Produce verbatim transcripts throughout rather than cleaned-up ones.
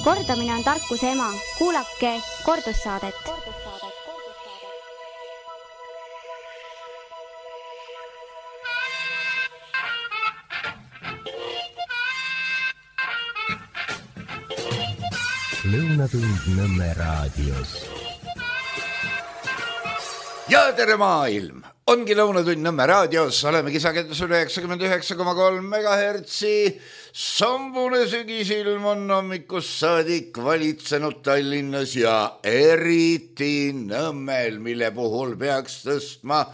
Kordamine on tarkuse ema. Kuulake kordussaadet. Lõunatund Nõmme raadios. Ja tere maailm! Ongi Lõunatund Nõmme raadios. Oleme kisakendusel üheksakümmend üheksa koma kolm megahertsi. Sambune sügisilm on hommikust saadik valitsenud Tallinnas ja eriti Nõmmel, mille puhul peaks tõstma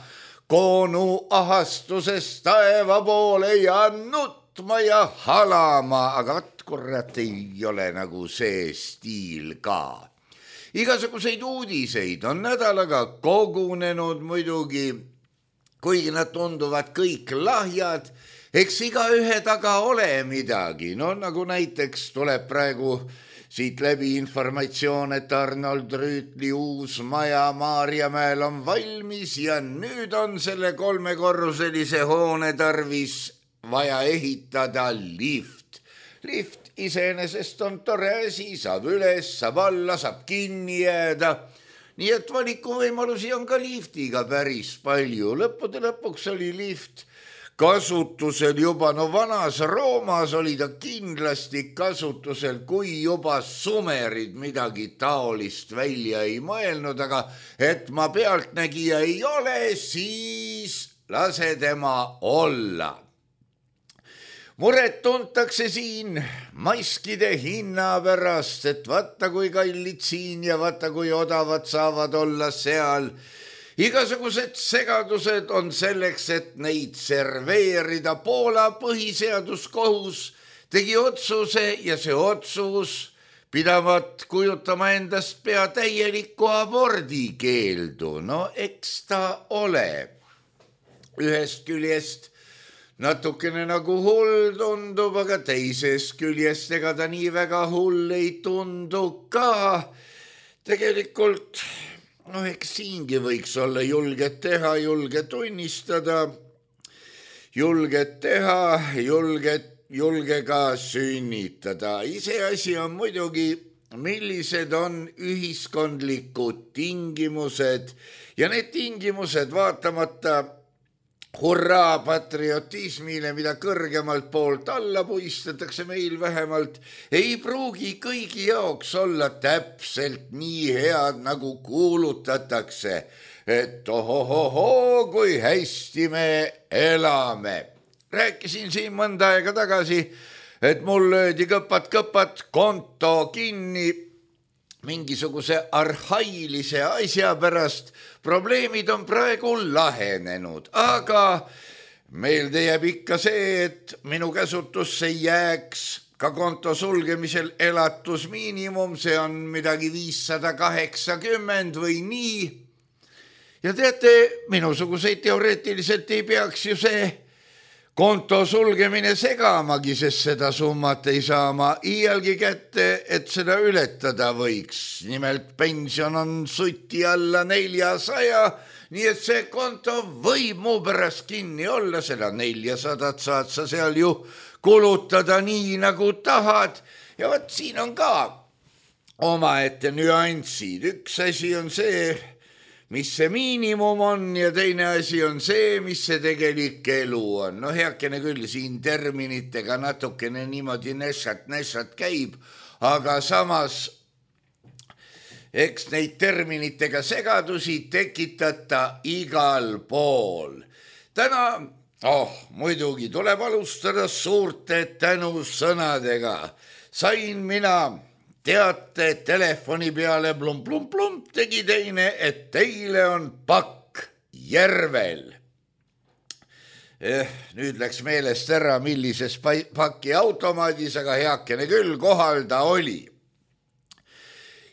koonu ahastusest taeva poole ja nutma ja halama, aga vat kurat ei ole nagu see stiil ka. Igasuguseid uudiseid on nädalaga kogunenud muidugi, kuigi nad tunduvad kõik lahjad, eks iga ühe taga ole midagi. No nagu näiteks tuleb praegu siit läbi informatsioon, et Arnold Rüütli uus maja Maarjamäel on valmis ja nüüd on selle kolmekorruselise hoone tarvis vaja ehitada lift. Lift iseenesest on tore asi, saab üles, saab alla, saab kinni jääda. Nii et valikuvõimalusi on ka liftiga päris palju. Lõppude lõpuks oli lift kasutusel juba, no vanas Roomas oli ta kindlasti kasutusel, kui juba sumerid midagi taolist välja ei mõelnud, aga et ma pealtnägija ei ole, siis lase tema olla. Muret tuntakse siin maskide hinna pärast, et vaata kui kallid siin ja vaata kui odavad saavad olla seal. Igasugused segadused on selleks, et neid serveerida. Poola põhiseaduskohus tegi otsuse ja see otsus pidavat kujutama endast pea täielikku abordikeeldu. No eks ta ole ühest küljest natukene nagu hull tundub, aga teisest küljest ega ta nii väga hull ei tundu ka. Tegelikult, no eks siingi võiks olla julget teha, julge tunnistada, julget teha, julget, julge ka sünnitada. Iseasi on muidugi, millised on ühiskondlikud tingimused ja need tingimused vaatamata hurraa patriotismile, mida kõrgemalt poolt alla puistatakse meil vähemalt, ei pruugi kõigi jaoks olla täpselt nii head, nagu kuulutatakse, et ohohoho, kui hästi me elame. Rääkisin siin mõnda aega tagasi, et mul löödi kõpat-kõpat konto kinni mingisuguse arhailise asja pärast. Probleemid on praegu lahenenud, aga meelde jääb ikka see, et minu käsutusse jääks ka konto sulgemisel elatusmiinimum, see on midagi viissada kaheksakümmend või nii. Ja teate, minusuguseid teoreetiliselt ei peaks ju see konto sulgemine segamagi, sest seda summat ei saa ma iialgi kätte, et seda ületada võiks. Nimelt pension on suti alla neljasaja, nii et see konto võib mu pärast kinni olla, seda neljasadat saad sa seal ju kulutada nii nagu tahad. Ja võt siin on ka omaette nüansid. Üks asi on see, mis see miinimum on ja teine asi on see, mis see tegelik elu on. No heakene küll siin terminitega natukene niimoodi nešat-nešat käib, aga samas eks neid terminitega segadusi tekitata igal pool. Täna, oh, muidugi tuleb alustada suurte tänusõnadega. Sain mina teate telefoni peale plump-plump-plump tegi teine, et teile on pakk Järvel. Eh, nüüd läks meelest ära, millises paki automaadis, aga heakene küll kohal ta oli.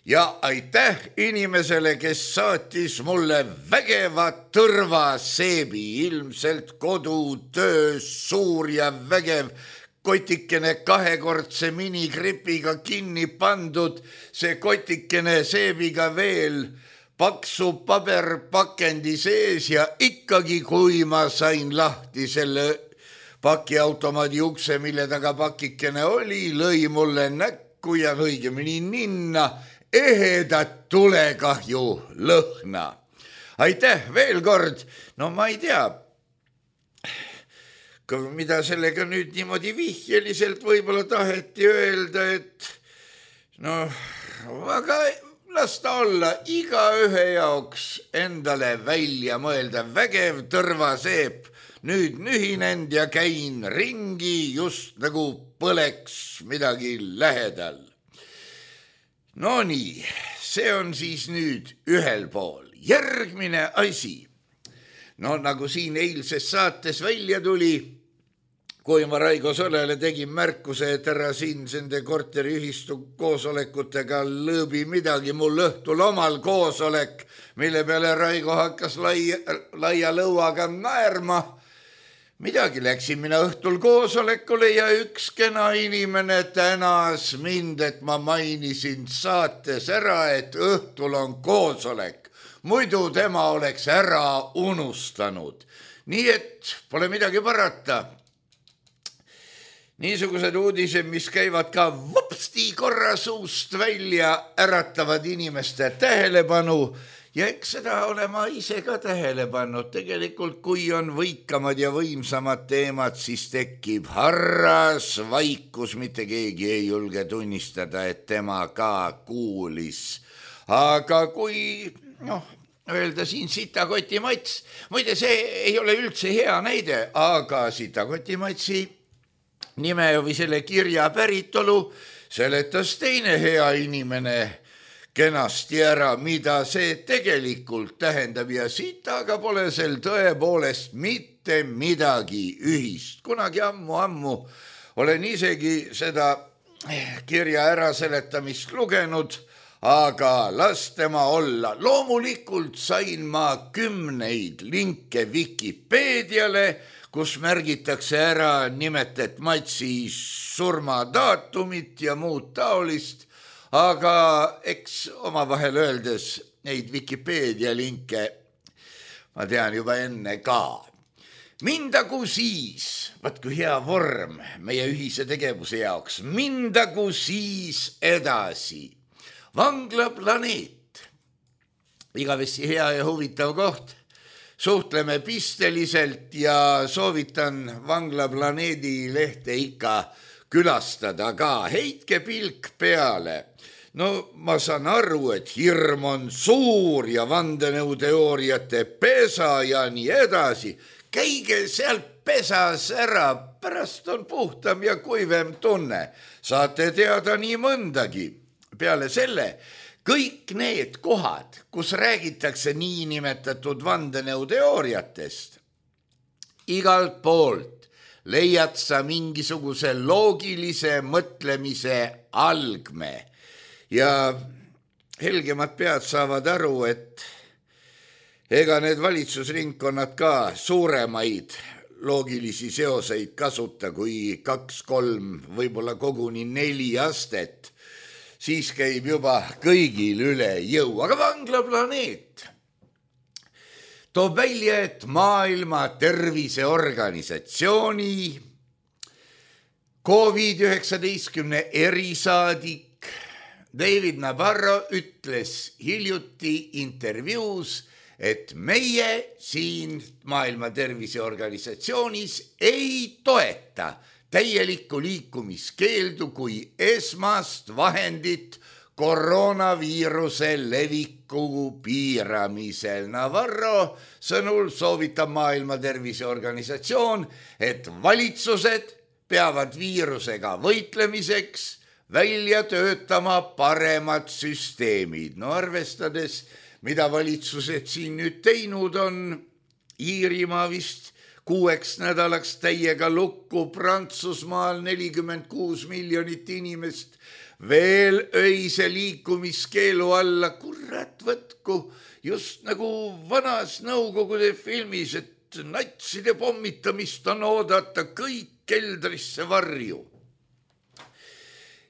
Ja aitäh inimesele, kes saatis mulle vägeva tõrvaseebi, ilmselt kodutöös suur ja vägev kotikene kahekordse minikripiga kinni pandud, see kotikene seebiga veel paksu paberpakendi sees ja ikkagi, kui ma sain lahti selle pakiautomaadi ukse, mille taga pakikene oli, lõi mulle näkku õhku ja õigemini ninna ehedat tulekahju lõhna. Aitäh veel kord, no ma ei tea, mida sellega nüüd niimoodi vihjeliselt võib-olla taheti öelda, et no, aga las ta olla igaühe jaoks endale välja mõelda vägev tõrvaseep. Nüüd nühinend ja käin ringi, just nagu põleks midagi lähedal. No nii, see on siis nüüd ühel pool. Järgmine asi. No nagu siin eilses saates välja tuli, kui ma Raigo Solele tegin märkuse, et ära siin sende korteriühistu koosolekutega lõõbi midagi, mul õhtul omal koosolek, mille peale Raigo hakkas laia, laia lõuaga naerma. Midagi läksin mina õhtul koosolekule ja üks kena inimene tänas mind, et ma mainisin saates ära, et õhtul on koosolek. Muidu tema oleks ära unustanud. Nii et pole midagi parata. Niisugused uudised, mis käivad ka vupsti korra suust välja, äratavad inimeste tähelepanu ja eks seda ole ma ise ka tähele pannud. Tegelikult, kui on võikamad ja võimsamad teemad, siis tekib harras vaikus, mitte keegi ei julge tunnistada, et tema ka kuulis. Aga kui, noh, öelda siin Sitakoti Mats, muide see ei ole üldse hea näide, aga Sitakoti Matsi nime või selle kirja päritolu seletas teine hea inimene kenasti ära, mida see tegelikult tähendab ja sitaga pole sel tõepoolest mitte midagi ühist. Kunagi ammu-ammu olen isegi seda kirja äraseletamist lugenud, aga las tema olla. Loomulikult sain ma kümneid linke Vikipeediale, kus märgitakse ära nimetet Matsi surmadaatumit ja muud taolist, aga eks omavahel öeldes neid Vikipeedia linke ma tean juba enne ka. Mindagu siis, vaat kui hea vorm meie ühise tegevuse jaoks, mindagu siis edasi. Vanglaplaneet, igavesti hea ja huvitav koht. Suhtleme pisteliselt ja soovitan Vanglaplaneedi lehte ikka külastada ka. Heitke pilk peale. No ma saan aru, et hirm on suur ja vandenõuteooriate pesa ja nii edasi. Käige sealt pesas ära, pärast on puhtam ja kuivem tunne. Saate teada nii mõndagi. Peale selle, kõik need kohad, kus räägitakse niinimetatud vandenõuteooriatest, igalt poolt leiad sa mingisuguse loogilise mõtlemise algme ja helgemad pead saavad aru, et ega need valitsusringkonnad ka suuremaid loogilisi seoseid kasuta kui kaks, kolm, võib-olla koguni neli astet. Siis käib juba kõigil üle jõu. Aga Vanglaplaneet toob välja, et Maailma Terviseorganisatsiooni koovid üheksateist erisaadik David Nabarro ütles hiljuti intervjuus, et meie siin Maailma Terviseorganisatsioonis ei toeta täielikku liikumiskeeldu kui esmast vahendit koroonaviiruse leviku piiramisel. Navarro sõnul soovitab Maailma Terviseorganisatsioon, et valitsused peavad viirusega võitlemiseks välja töötama paremad süsteemid. No arvestades, mida valitsused siin nüüd teinud on, Iirimaa vist kuueks nädalaks täiega lukku, Prantsusmaal nelikümmend kuus miljonit inimest veel öise liikumiskeelu alla. Kurat võtku, just nagu vanas Nõukogude filmis, et natside pommitamist on oodata kõik keldrisse varju.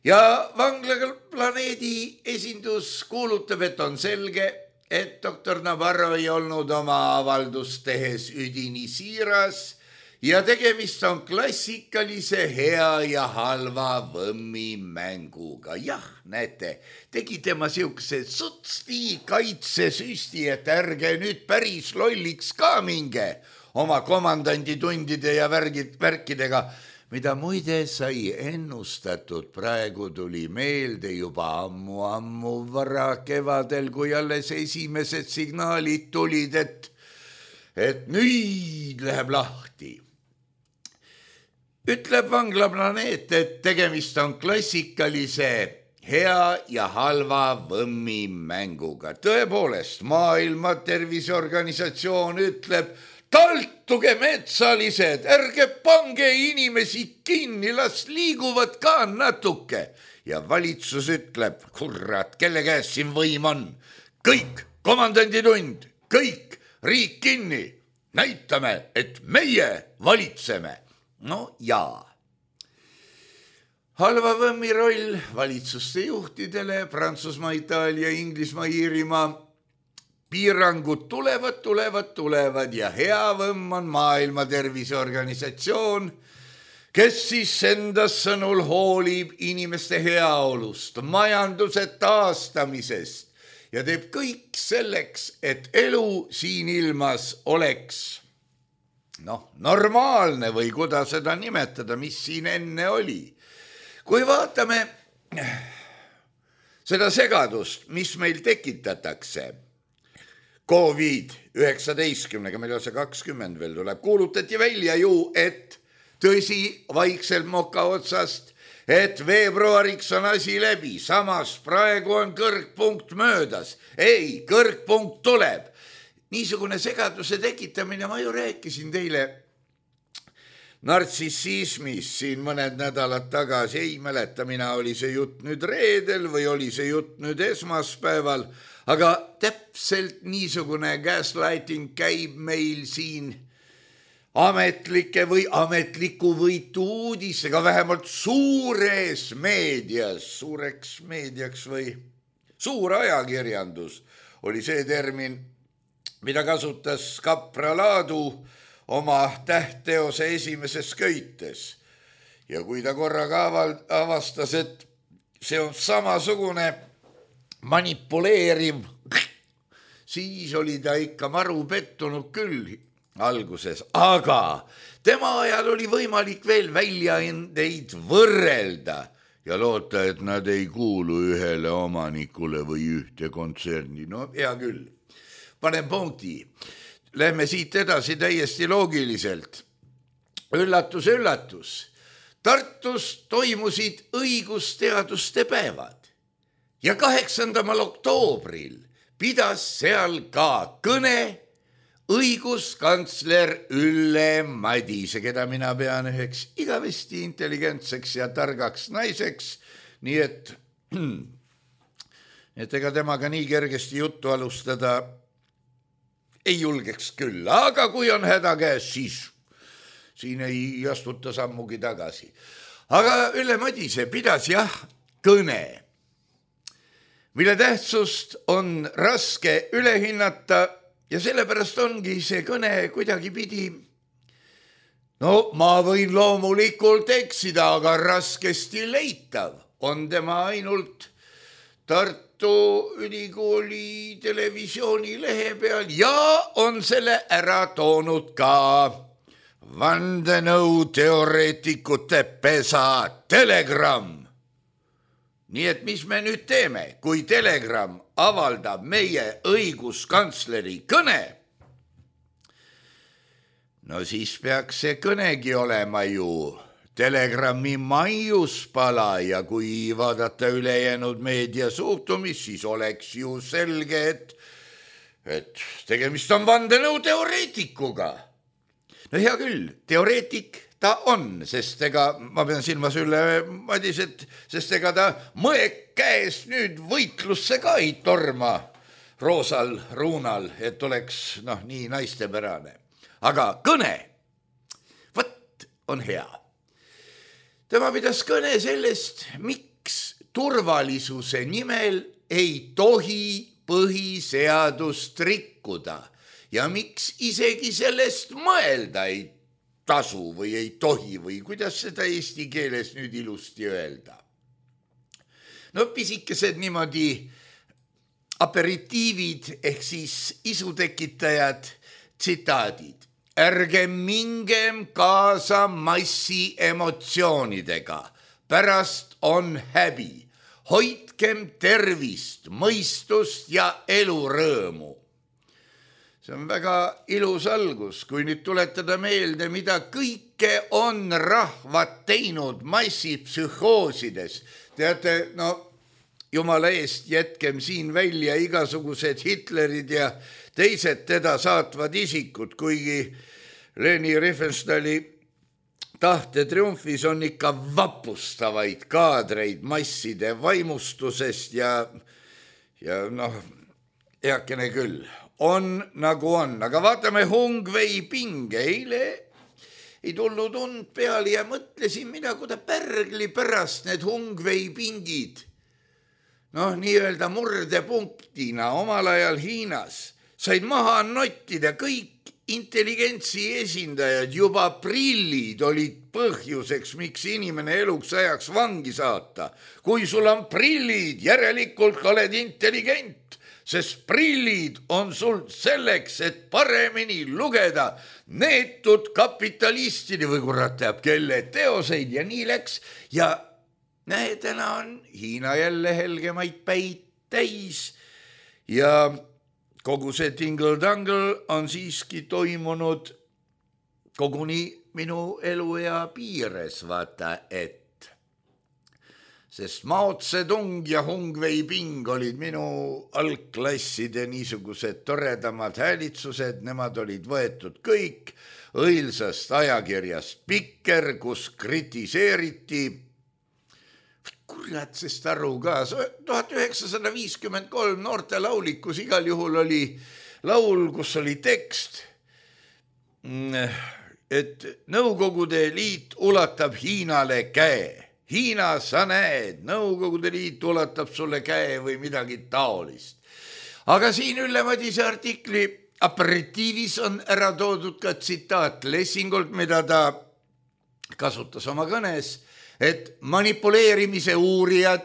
Ja Vanglaplaneedi esindus kuulutab, et on selge, et doktor Navarro ei olnud oma avaldust tehes üdini siiras ja tegemist on klassikalise hea ja halva võmmi mänguga. Jah, näete, tegi tema siukse sutsti kaitsesüsti, et ärge nüüd päris lolliks ka minge oma komandandi tundide ja värgid, värkidega, mida muide sai ennustatud. Praegu tuli meelde juba ammu-ammu vara kevadel, kui alles esimesed signaalid tulid, et, et nüüd läheb lahti. Ütleb Vanglaplaneet, et tegemist on klassikalise hea ja halva võmmi mänguga. Tõepoolest, Maailma Terviseorganisatsioon ütleb, taltuge metsalised, ärge pange inimesi kinni, las liiguvad ka natuke. Ja valitsus ütleb, kurat, kelle käes siin võim on? Kõik, komandanditund, kõik, riik kinni. Näitame, et meie valitseme. No jaa. Halva võmmi roll valitsuste juhtidele, Prantsusmaa, Itaalia, Inglismaa, Iirimaa. Piirangud tulevad, tulevad, tulevad ja hea võmm on Maailma Terviseorganisatsioon, kes siis endas sõnul hoolib inimeste heaolust, majanduse taastamisest ja teeb kõik selleks, et elu siin ilmas oleks noh, normaalne või kuidas seda nimetada, mis siin enne oli. Kui vaatame seda segadust, mis meil tekitatakse Covid üheksateistkümnega, meil on see kakskümmend veel tuleb, kuulutati välja ju, et tõsi vaikselt moka otsast, et veebruariks on asi läbi, samas praegu on kõrgpunkt möödas. Ei, kõrgpunkt tuleb. Niisugune segaduse tekitamine, ma ju rääkisin teile nartsissismis siin mõned nädalad tagasi, ei mäleta, mina oli see jutt nüüd reedel või oli see jutt nüüd esmaspäeval, aga täpselt niisugune gaslighting käib meil siin ametlike või ametliku võitu uudisega, vähemalt suures meedias, suureks meediaks või suur ajakirjandus oli see termin, mida kasutas Kapra Laadu oma tähtteose esimeses köites. Ja kui ta korraga avastas, et see on samasugune manipuleeriv, siis oli ta ikka maru pettunud küll alguses. Aga tema ajal oli võimalik veel väljaandeid võrrelda ja loota, et nad ei kuulu ühele omanikule või ühte kontserni. No hea küll. Panen punkti. Lähme siit edasi täiesti loogiliselt. Üllatus, üllatus. Tartus toimusid õigusteaduste päevad ja kaheksandamal oktoobril pidas seal ka kõne õiguskantsler Ülle Madise, keda mina pean üheks igavesti intelligentseks ja targaks naiseks, nii et, et ega temaga nii kergesti juttu alustada ei julgeks küll, aga kui on häda käes, siis siin ei astuta sammugi tagasi. Aga Ülle Madise pidas jah kõne, mille tähtsust on raske üle hinnata ja sellepärast ongi see kõne kuidagi pidi. No ma võin loomulikult eksida, aga raskesti leitav on tema ainult Tartu Ülikooli televisiooni lehe peal ja on selle ära toonud ka vandenõuteoreetikute pesa Telegram. Nii et mis me nüüd teeme, kui Telegram avaldab meie õiguskantsleri kõne? No siis peaks see kõnegi olema ju Telegrami maiuspala ja kui vaadata ülejäänud meedia suhtumist, siis oleks ju selge, et, et tegemist on vandenõuteoreetikuga. No hea küll, teoreetik ta on, sest ega, ma pean silmas Ülle Madiset, sest ega ta mõek käes nüüd võitlusse ka ei torma roosal ruunal, et oleks noh, nii naistepärane. Aga kõne, võt on hea. Tema pidas kõne sellest, miks turvalisuse nimel ei tohi põhiseadust rikkuda ja miks isegi sellest mõelda ei tasu või ei tohi või kuidas seda eesti keeles nüüd ilusti öelda. No pisikesed niimoodi aperitiivid ehk siis isutekitajad, tsitaadid. Ärge mingem kaasa massi emotsioonidega, pärast on häbi. Hoidkem tervist, mõistust ja elurõõmu. See on väga ilus algus, kui nüüd tuletada meelde, mida kõike on rahvad teinud massipsühhoosides. Teate, no jumala eest jätkem siin välja igasugused Hitlerid ja teised teda saatvad isikud, kuigi Leni Riefenstahli tahte triumfis on ikka vapustavaid kaadreid masside vaimustusest ja, ja noh, heakene küll. On nagu on, aga vaatame Hungvei pinge. Eile ei tulnud und peale ja mõtlesin mina, kuida pärgli pärast need Hungvei pingid. Noh, nii-öelda murdepunktina omal ajal Hiinas said maha nottida kõik intelligentsi esindajad, juba prillid olid põhjuseks, miks inimene eluks ajaks vangi saata. Kui sul on prillid, järelikult oled intelligent. Sest prillid on sul selleks, et paremini lugeda neetud kapitalistide või kurat teab kelle teoseid ja nii läks. Ja näe, täna on Hiina jälle helgemaid päid täis ja kogu see tingle-tangle on siiski toimunud koguni minu eluea piires, vaata et. Sest Mao Tse-tung ja Hungvei ping olid minu algklasside niisugused toredamad häälitsused, nemad olid võetud kõik õilsast ajakirjast Pikker, kus kritiseeriti, kurat sest aru ka, tuhat üheksasada viiskümmend kolm noorte laulikus igal juhul oli laul, kus oli tekst, et Nõukogude Liit ulatab Hiinale käe. Hiina, sa näed, Nõukogude Liit ulatab sulle käe või midagi taolist. Aga siin Ülle Madise artikli aperitiivis on ära toodud ka tsitaat Lessingult, mida ta kasutas oma kõnes, et manipuleerimise uurijad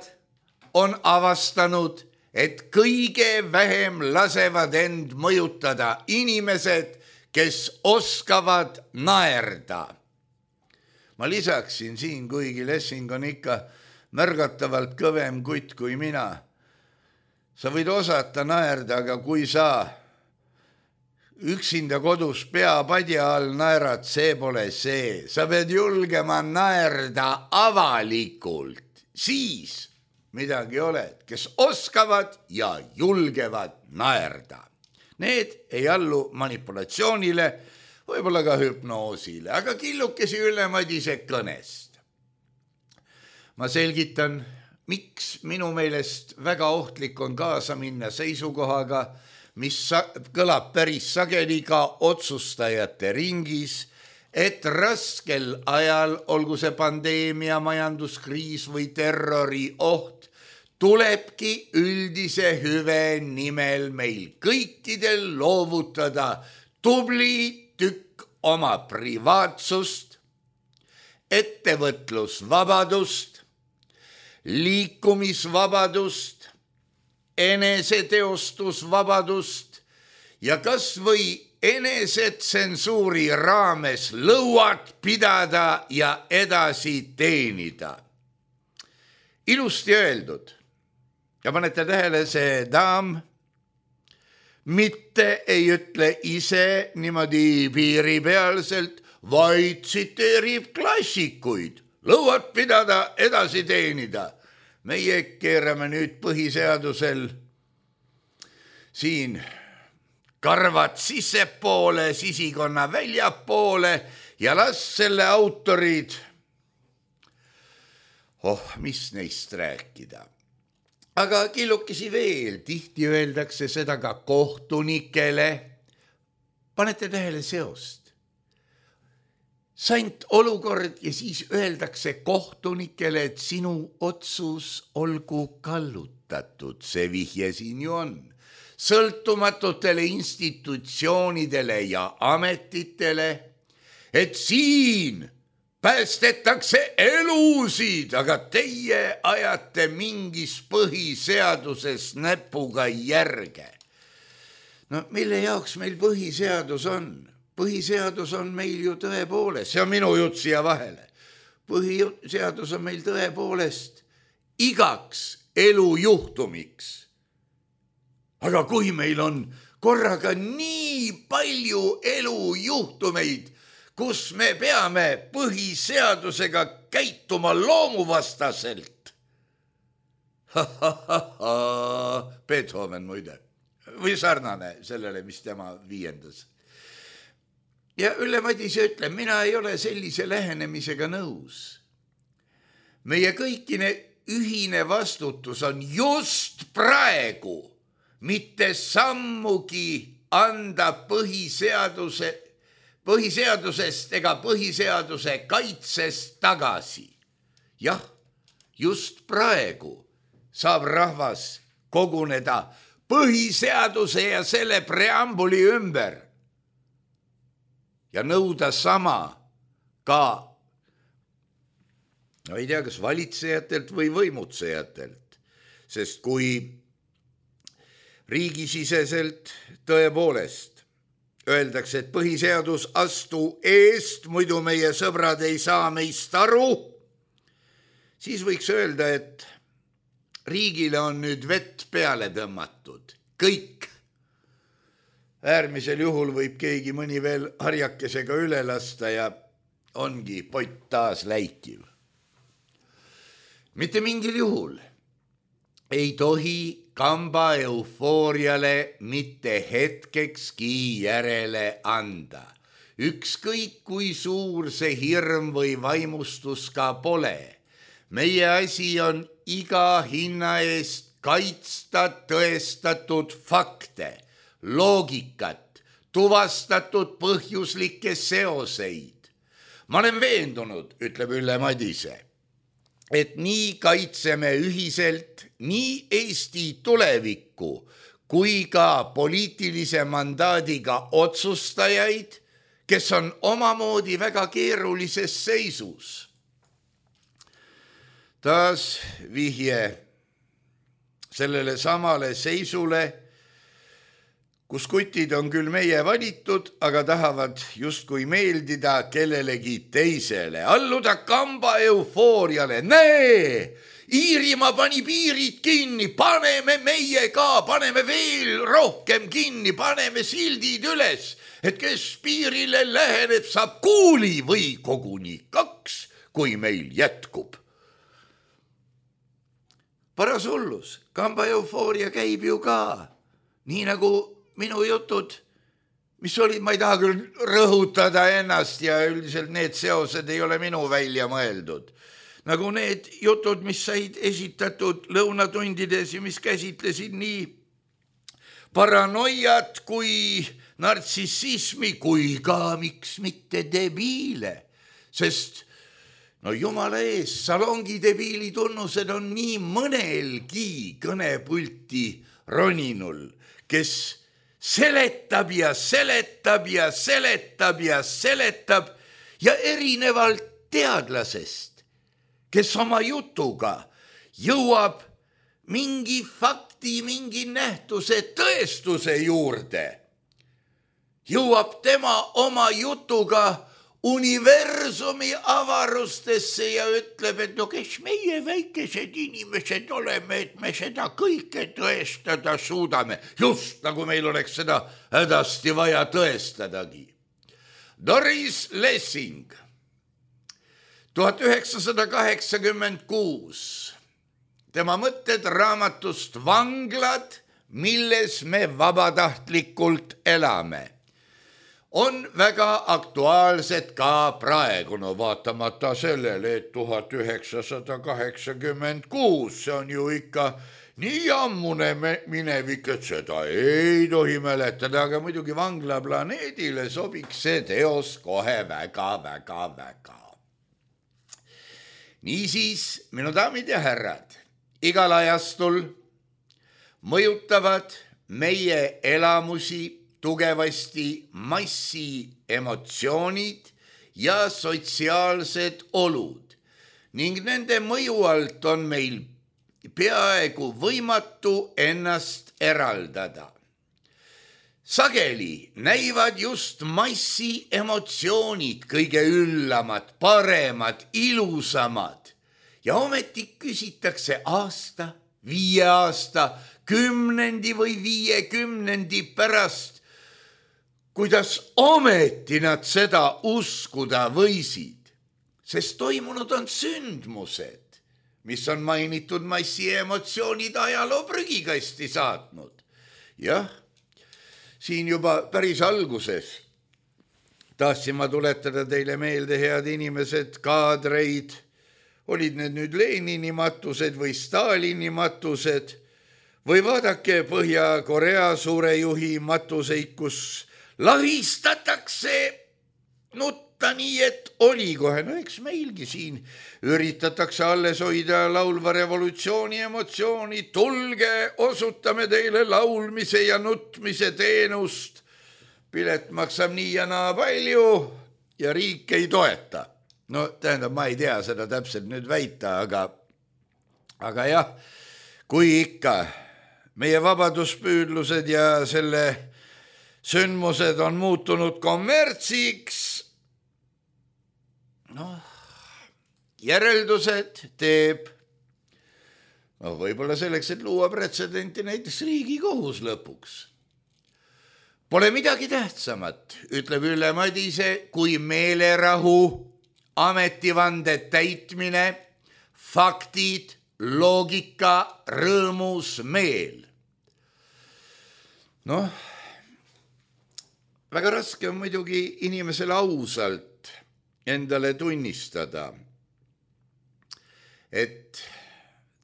on avastanud, et kõige vähem lasevad end mõjutada inimesed, kes oskavad naerda. Ma lisaksin siin, kuigi Lessing on ikka märgatavalt kõvem kutt kui mina. Sa võid osata naerda, aga kui sa üksinda kodus peapadja all naerad, see pole see. Sa pead julgema naerda avalikult. Siis midagi oled, kes oskavad ja julgevad naerda. Need ei allu manipulatsioonile, võib-olla ka hüpnoosile, aga killukesi Ülle Madise kõnest. Ma selgitan, miks minu meelest väga ohtlik on kaasa minna seisukohaga, mis kõlab päris sageli ka otsustajate ringis, et raskel ajal, olgu see pandeemia, majanduskriis või terrori oht, tulebki üldise hüve nimel meil kõikidel loovutada tubli tükk oma privaatsust, ettevõtlusvabadust, liikumisvabadust, eneseteostusvabadust ja kas või enesetsensuuri raames lõuad pidada ja edasi teenida. Ilusti öeldud. Ja panete tähele, see daam mitte ei ütle ise niimoodi piiripealselt, vaid tsiteerib klassikuid. Lõuad pidada, edasi teenida. Meie keerame nüüd põhiseadusel siin karvad sissepoole, sisikonna väljapoole ja las selle autorid, oh, mis neist rääkida. Aga killukesi veel, tihti öeldakse seda ka kohtunikele. Panete tähele seost. Sant olukord ja siis öeldakse kohtunikele, et sinu otsus olgu kallutatud. See vihje siin ju on. Sõltumatutele institutsioonidele ja ametitele, et siin päästetakse elusid, aga teie ajate mingis põhiseaduses näpuga järge. No mille jaoks meil põhiseadus on? Põhiseadus on meil ju tõepoolest, see on minu jutt siia vahele. Põhiseadus on meil tõepoolest igaks elujuhtumiks. Aga kui meil on korraga nii palju elujuhtumeid, kus me peame põhiseadusega käituma loomuvastaselt. Beethoven muide, või sarnane sellele, mis tema viiendas. Ja Ülle Madise ütleb, mina ei ole sellise lähenemisega nõus. Meie kõikine ühine vastutus on just praegu mitte sammugi anda põhiseaduse, põhiseadusest ega põhiseaduse kaitsest tagasi. Jah, just praegu saab rahvas koguneda põhiseaduse ja selle preambuli ümber ja nõuda sama ka, no ei tea, kas valitsejatelt või võimutsejatelt, sest kui riigisiseselt tõepoolest öeldakse, et põhiseadus astu eest, muidu meie sõbrad ei saa meist aru, siis võiks öelda, et riigile on nüüd vett peale tõmmatud, kõik. Äärmisel juhul võib keegi mõni veel harjakesega üle lasta ja ongi pott taas läikiv. Mitte mingil juhul ei tohi kamba eufooriale mitte hetkekski järele anda. Ükskõik kui suur see hirm või vaimustus ka pole. Meie asi on iga hinna eest kaitsta tõestatud fakte, loogikat, tuvastatud põhjuslikke seoseid. Ma olen veendunud, ütleb Ülle Madise, et nii kaitseme ühiselt nii Eesti tulevikku kui ka poliitilise mandaadiga otsustajaid, kes on omamoodi väga keerulises seisus. Taas vihje sellele samale seisule, kus kutid on küll meie valitud, aga tahavad justkui meeldida kellelegi teisele. Alluda kamba eufooriale. Näe, Iirimaa pani piirid kinni, paneme meie ka, paneme veel rohkem kinni, paneme sildid üles, et kes piirile läheneb, saab kuuli või koguni kaks, kui meil jätkub. Paras hullus, kamba eufooria käib ju ka, nii nagu minu jutud, mis olid, ma ei taha küll rõhutada ennast ja üldiselt need seosed ei ole minu välja mõeldud. Nagu need jutud, mis said esitatud lõunatundides ja mis käsitlesid nii paranoiat kui nartsissismi kui ka miks mitte debiile, sest no jumala ees, salongi debiili tunnused on nii mõnelgi kõnepulti roninul, kes seletab ja seletab ja seletab ja seletab ja erinevalt teadlasest, kes oma jutuga jõuab mingi fakti, mingi nähtuse tõestuse juurde, jõuab tema oma jutuga universumi avarustesse ja ütleb, et no kes meie väikesed inimesed oleme, et me seda kõike tõestada suudame, just nagu meil oleks seda hädasti vaja tõestadagi. Doris Lessing, tuhat üheksasada kaheksakümmend kuus, tema mõtted raamatust Vanglad, milles me vabatahtlikult elame, on väga aktuaalsed ka praegu, no vaatamata sellele, et tuhat üheksasada kaheksakümmend kuus, see on ju ikka nii ammune minevik, et seda ei tohi mäletada, aga muidugi Vanglaplaneedile sobiks see teos kohe väga, väga, väga. Niisiis, minu daamid ja härrad, igal ajastul mõjutavad meie elamusi tugevasti massi emotsioonid ja sotsiaalsed olud ning nende mõju alt on meil peaaegu võimatu ennast eraldada. Sageli näivad just massi emotsioonid kõige üllamad, paremad, ilusamad ja ometi küsitakse aasta, viie aasta, kümnendi või viiekümnendi pärast, kuidas ometi nad seda uskuda võisid, sest toimunud on sündmused, mis on mainitud massi emotsioonid ajaloo prügikasti saatnud. Jah, siin juba päris alguses tahtsin ma tuletada teile meelde, head inimesed, kaadreid, olid need nüüd Lenini matused või Stalini matused või vaadake Põhja-Korea suurejuhi matuseid, kus lahistatakse nutta nii, et oli kohe, no eks meilgi siin üritatakse alles hoida laulva revolutsiooni emotsiooni, tulge, osutame teile laulmise ja nutmise teenust, pilet maksab nii ja naa palju ja riik ei toeta. No tähendab, ma ei tea seda täpselt nüüd väita, aga, aga jah, kui ikka meie vabaduspüüdlused ja selle sündmused on muutunud kommertsiks, noh, järeldused teeb, no võib-olla selleks, et luua pretsedenti näiteks Riigikohus lõpuks. Pole midagi tähtsamat, ütleb Ülle Madise, kui meelerahu, ametivande täitmine, faktid, loogika, rõõmus meel. Noh, väga raske on muidugi inimesele ausalt endale tunnistada, et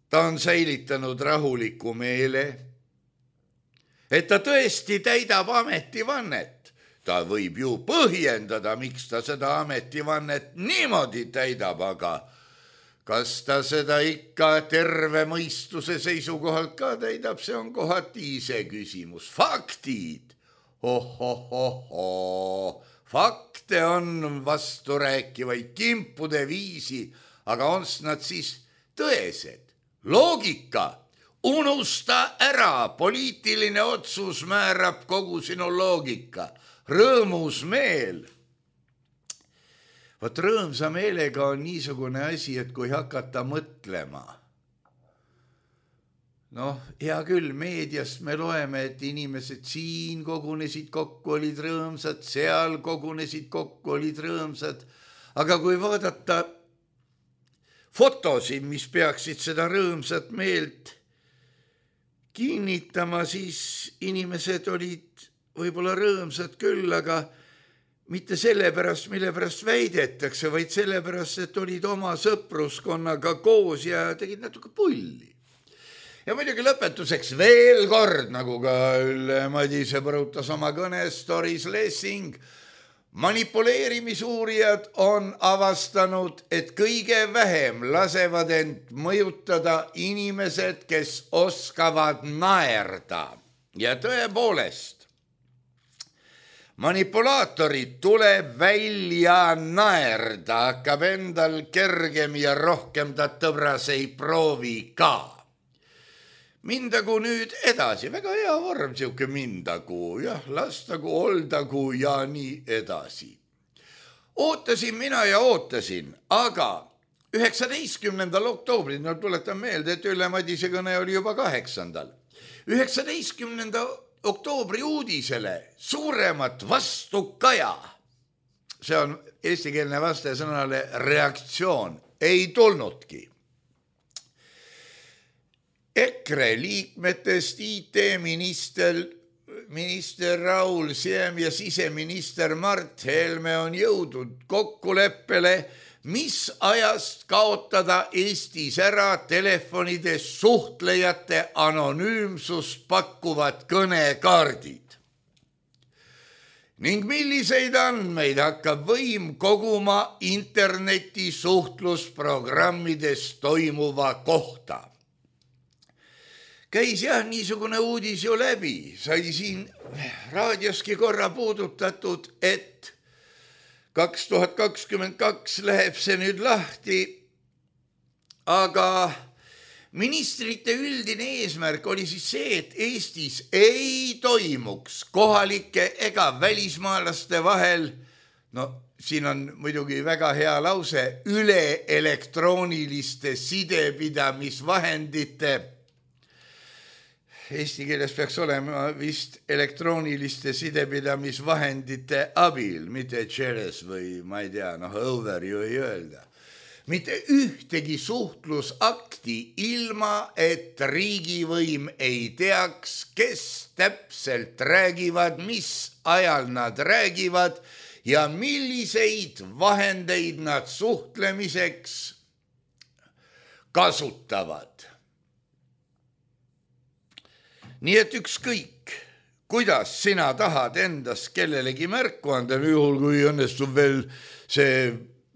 ta on säilitanud rahuliku meele, et ta tõesti täidab ametivannet. Ta võib ju põhjendada, miks ta seda ametivannet niimoodi täidab, aga kas ta seda ikka terve mõistuse seisukohalt ka täidab, see on kohati ise küsimus. Faktid, ohohoho, fakte on vasturääkivaid kimpude viisi, aga on nad siis tõesed? Loogika, unusta ära, poliitiline otsus määrab kogu sinu loogika. Rõõmus meel. Vot rõõmsa meelega on niisugune asi, et kui hakata mõtlema. Noh, hea küll, meediast me loeme, et inimesed siin kogunesid kokku, olid rõõmsad, seal kogunesid kokku, olid rõõmsad. Aga kui vaadata fotosid, mis peaksid seda rõõmsat meelt kinnitama, siis inimesed olid võib-olla rõõmsad küll, aga mitte selle pärast, mille pärast väidetakse, vaid selle pärast, et olid oma sõpruskonnaga koos ja tegid natuke pulli. Ja muidugi lõpetuseks veel kord, nagu ka Ülle Madise põrutas oma kõnes, Doris Lessing, manipuleerimisuurijad on avastanud, et kõige vähem lasevad end mõjutada inimesed, kes oskavad naerda. Ja tõepoolest, manipulaatorid tuleb välja naerda, hakkab endal kergem ja rohkem ta tõbras ei proovi ka. Mindagu nüüd edasi, väga hea vorm, siuke mindagu, jah, lastagu, oldagu ja nii edasi. Ootasin mina ja ootasin, aga üheksateistkümnendal oktoobril, no tuletan meelde, et Ülle Madise kõne oli juba kaheksandal. üheksateistkümnenda oktoobri uudisele suuremat vastukaja, see on eestikeelne vaste sõnale reaktsioon, ei tulnudki. EKRE liikmetest I T-minister minister Raul Siem ja siseminister Mart Helme on jõudnud kokkuleppele, mis ajast kaotada Eestis ära telefonides suhtlejate anonüümsust pakkuvad kõnekaardid. Ning milliseid andmeid hakkab võim koguma interneti suhtlusprogrammides toimuva kohta. Käis jah niisugune uudis ju läbi, sai siin raadioski korra puudutatud, et kaks tuhat kakskümmend kaks läheb see nüüd lahti, aga ministrite üldine eesmärk oli siis see, et Eestis ei toimuks kohalike ega välismaalaste vahel, no siin on muidugi väga hea lause, üle elektrooniliste sidepidamisvahendite, eesti keeles peaks olema vist elektrooniliste sidepidamisvahendite abil, mitte tšeres või ma ei tea, noh over ju ei öelda. Mitte ühtegi suhtlusakti ilma, et riigivõim ei teaks, kes täpselt räägivad, mis ajal nad räägivad ja milliseid vahendeid nad suhtlemiseks kasutavad. Nii et ükskõik, kuidas sina tahad endast kellelegi märku anda, juhul kui õnnestub veel see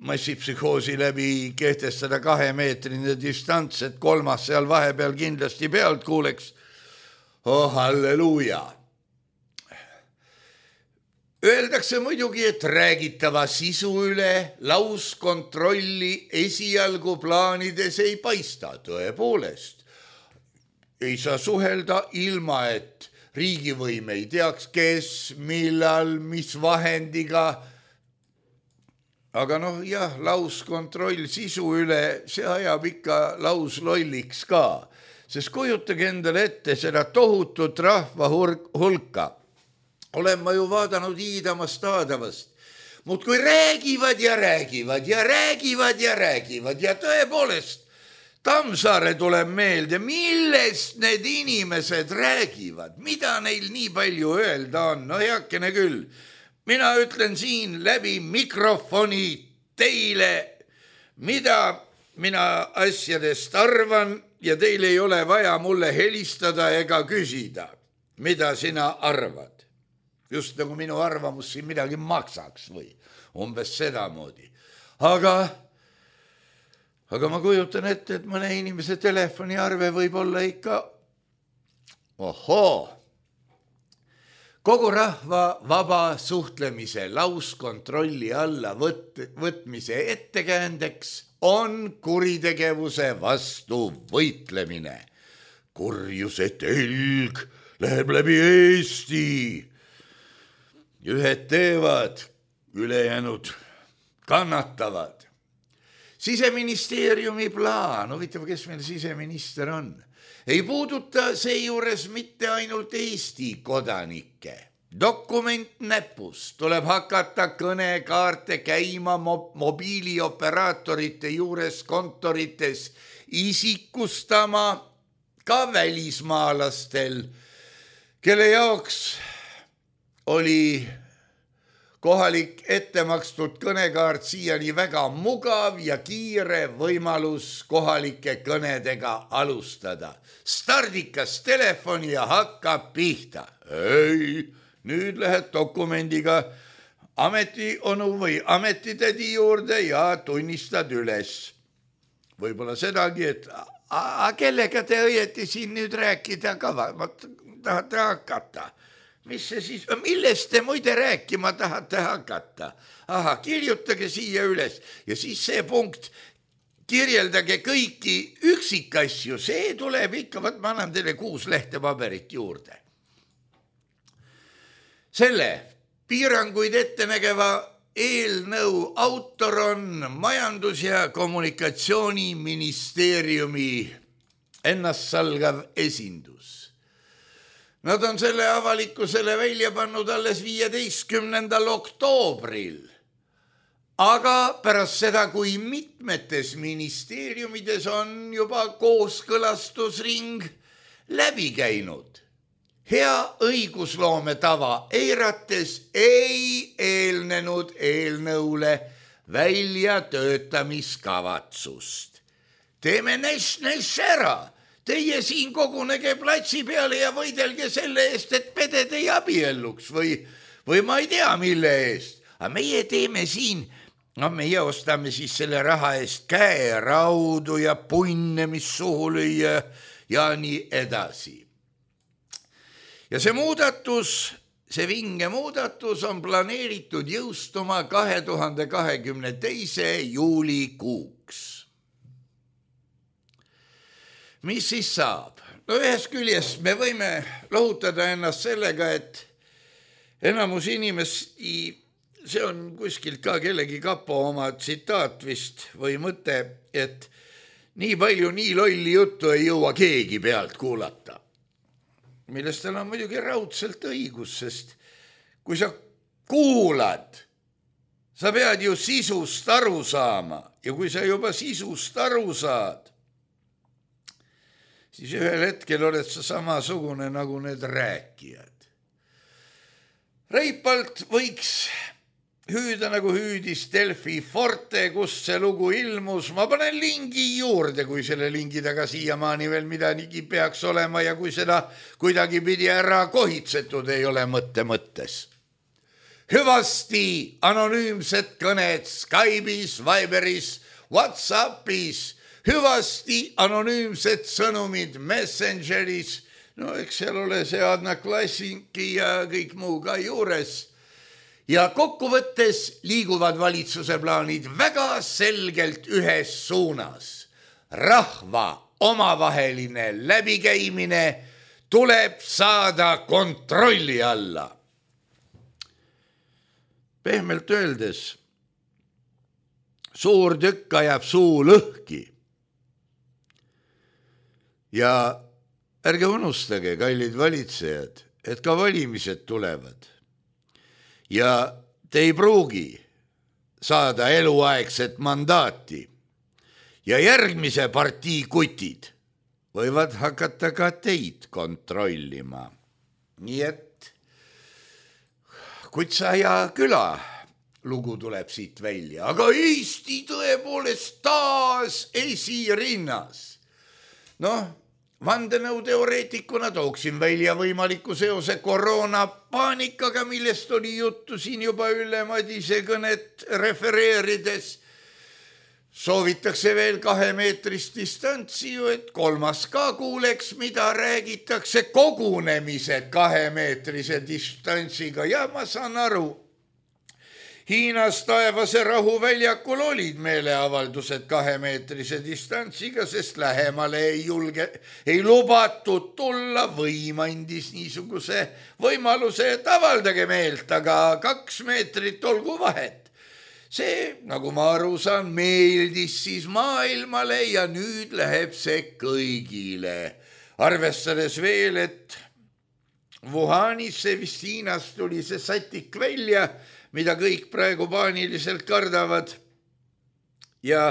massipsühhoosi läbi kehtestada kahemeetrine distants, et kolmas seal vahepeal kindlasti pealt kuuleks. Oh, halleluuja. Öeldakse muidugi, et räägitava sisu üle lauskontrolli esialgu plaanides ei paista, tõepoolest. Ei saa suhelda ilma, et riigivõim ei teaks, kes, millal, mis vahendiga. Aga noh, jah, lauskontroll sisu üle, see ajab ikka lauslolliks ka. Sest kujutage endale ette seda tohutut rahva hulka. Olen ma ju vaadanud Iidamast Aadavast. Muud kui räägivad ja räägivad ja räägivad ja räägivad ja tõepoolest Tammsaare tuleb meelde, millest need inimesed räägivad, mida neil nii palju öelda on. No heakene küll, mina ütlen siin läbi mikrofoni teile, mida mina asjadest arvan ja teil ei ole vaja mulle helistada ega küsida, mida sina arvad. Just nagu minu arvamus siin midagi maksaks või umbes sedamoodi. Aga Aga ma kujutan ette, et mõne inimese telefoniarve võib olla ikka, ohoo, kogu rahva vaba suhtlemise lauskontrolli alla võt, võtmise ettekäändeks on kuritegevuse vastu võitlemine. Kurjuse telg läheb läbi Eesti. Ühed teevad, ülejäänud kannatavad. Siseministeeriumi plaan, huvitav, kes meil siseminister on, ei puuduta seejuures mitte ainult Eesti kodanikke. Dokument näpus tuleb hakata kõnekaarte käima mobiilioperaatorite juures kontorites isikustama ka välismaalastel, kelle jaoks oli kohalik ettemakstud kõnekaart siiani väga mugav ja kiire võimalus kohalike kõnedega alustada. Stardikas telefoni ja hakkab pihta. Ei, nüüd lähed dokumendiga ametionu või ametitädi juurde ja tunnistad üles. Võib-olla sedagi, et a, kellega te õieti siin nüüd rääkida kava, ma tahate hakata. Mis see siis, millest te muide rääkima tahate hakata? Aha, kirjutage siia üles ja siis see punkt, kirjeldage kõiki üksikasju, see tuleb ikka, võt ma annan teile kuus lehte paberit juurde. Selle piiranguid ette nägeva eelnõu autor on Majandus- ja Kommunikatsiooniministeeriumi ennastsalgav esindus. Nad on selle avalikkusele välja pannud alles viieteistkümnendal oktoobril. Aga pärast seda, kui mitmetes ministeeriumides on juba kooskõlastusring läbi käinud. Hea õigusloome tava eirates ei eelnenud eelnõule väljatöötamiskavatsust. Teeme näš-näš ära. Teie siin kogunege platsi peale ja võidelge selle eest, et peded ei abielluks või, või ma ei tea, mille eest. Aga meie teeme siin, no meie ostame siis selle raha eest käeraudu ja punne, mis suhu lüüa ja nii edasi. Ja see muudatus see vinge muudatus on planeeritud jõustuma kahe tuhande kahekümne teise juulikuuks. Mis siis saab? No ühest küljest me võime lohutada ennast sellega, et enamus inimesi, see on kuskilt ka kellegi kapo oma tsitaat vist või mõte, et nii palju nii lolli juttu ei jõua keegi pealt kuulata. Millest tal on muidugi raudselt õigus, sest kui sa kuulad, sa pead ju sisust aru saama ja kui sa juba sisust aru saad, siis ühel hetkel oled sa samasugune nagu need rääkijad. Reipalt võiks hüüda nagu hüüdis Delfi Forte, kus see lugu ilmus. Ma panen lingi juurde, kui selle lingi taga siiamaani veel midagi peaks olema ja kui seda kuidagi pidi ära kohitsetud ei ole mõtte mõttes. Hüvasti anonüümsed kõned Skype'is, Viberis, Whatsappis, hüvasti anonüümsed sõnumid Messengeris, no eks seal ole see Adna Klassinki ja kõik muu ka juures. Ja kokkuvõttes liiguvad valitsuse plaanid väga selgelt ühes suunas. Rahva omavaheline läbikäimine tuleb saada kontrolli alla. Pehmelt öeldes, suur tükk ajab suu lõhki. Ja ärge unustage, kallid valitsejad, et ka valimised tulevad. Ja te ei pruugi saada eluaegset mandaati ja järgmise partii kutid võivad hakata ka teid kontrollima. Nii et Kutsa ja küla lugu tuleb siit välja, aga Eesti tõepoolest taas esirinnas. Noh, vandenõuteoreetikuna tooksin välja võimaliku seose koroonapaanikaga, millest oli juttu siin juba Ülle Madise kõnet refereerides. Soovitakse veel kahemeetrist distantsi ju, et kolmas ka kuuleks, mida räägitakse kogunemised kahemeetrise distantsiga. Ja ma saan aru, Hiinas taevase rahuväljakul olid meeleavaldused kahemeetrise distantsiga, sest lähemale ei julge, ei lubatud tulla, võim andis niisuguse võimaluse, et avaldage meelt, aga kaks meetrit olgu vahet. See, nagu ma aru saan, meeldis siis maailmale ja nüüd läheb see kõigile. Arvestades veel, et Wuhanis, see vist Hiinast tuli see satik välja, mida kõik praegu paaniliselt kardavad. Ja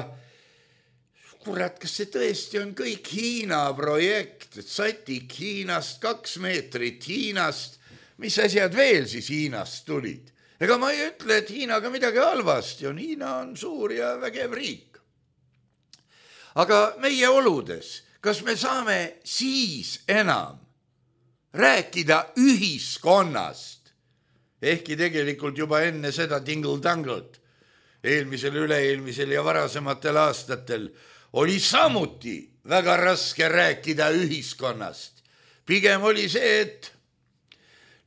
kurat, kas see tõesti on kõik Hiina projekt, et satik Hiinast, kaks meetrit Hiinast, mis asjad veel siis Hiinast tulid? Ega ma ei ütle, et Hiinaga midagi halvasti on, Hiina on suur ja vägev riik. Aga meie oludes, kas me saame siis enam rääkida ühiskonnast, ehkki tegelikult juba enne seda tingle-tangled, eelmisel, üle-eelmisel ja varasematel aastatel oli samuti väga raske rääkida ühiskonnast. Pigem oli see, et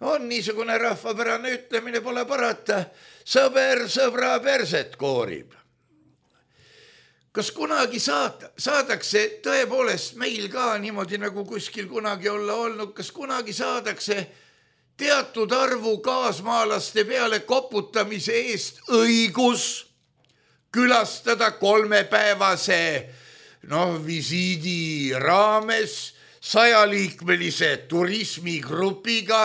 on niisugune rahvapärane ütlemine, pole parata, sõber sõbra perset koorib. Kas kunagi saada, saadakse tõepoolest meil ka niimoodi nagu kuskil kunagi olla olnud, kas kunagi saadakse teatud arvu kaasmaalaste peale koputamise eest õigus külastada kolmepäevase noh, visiidi raames sajaliikmelise turismigrupiga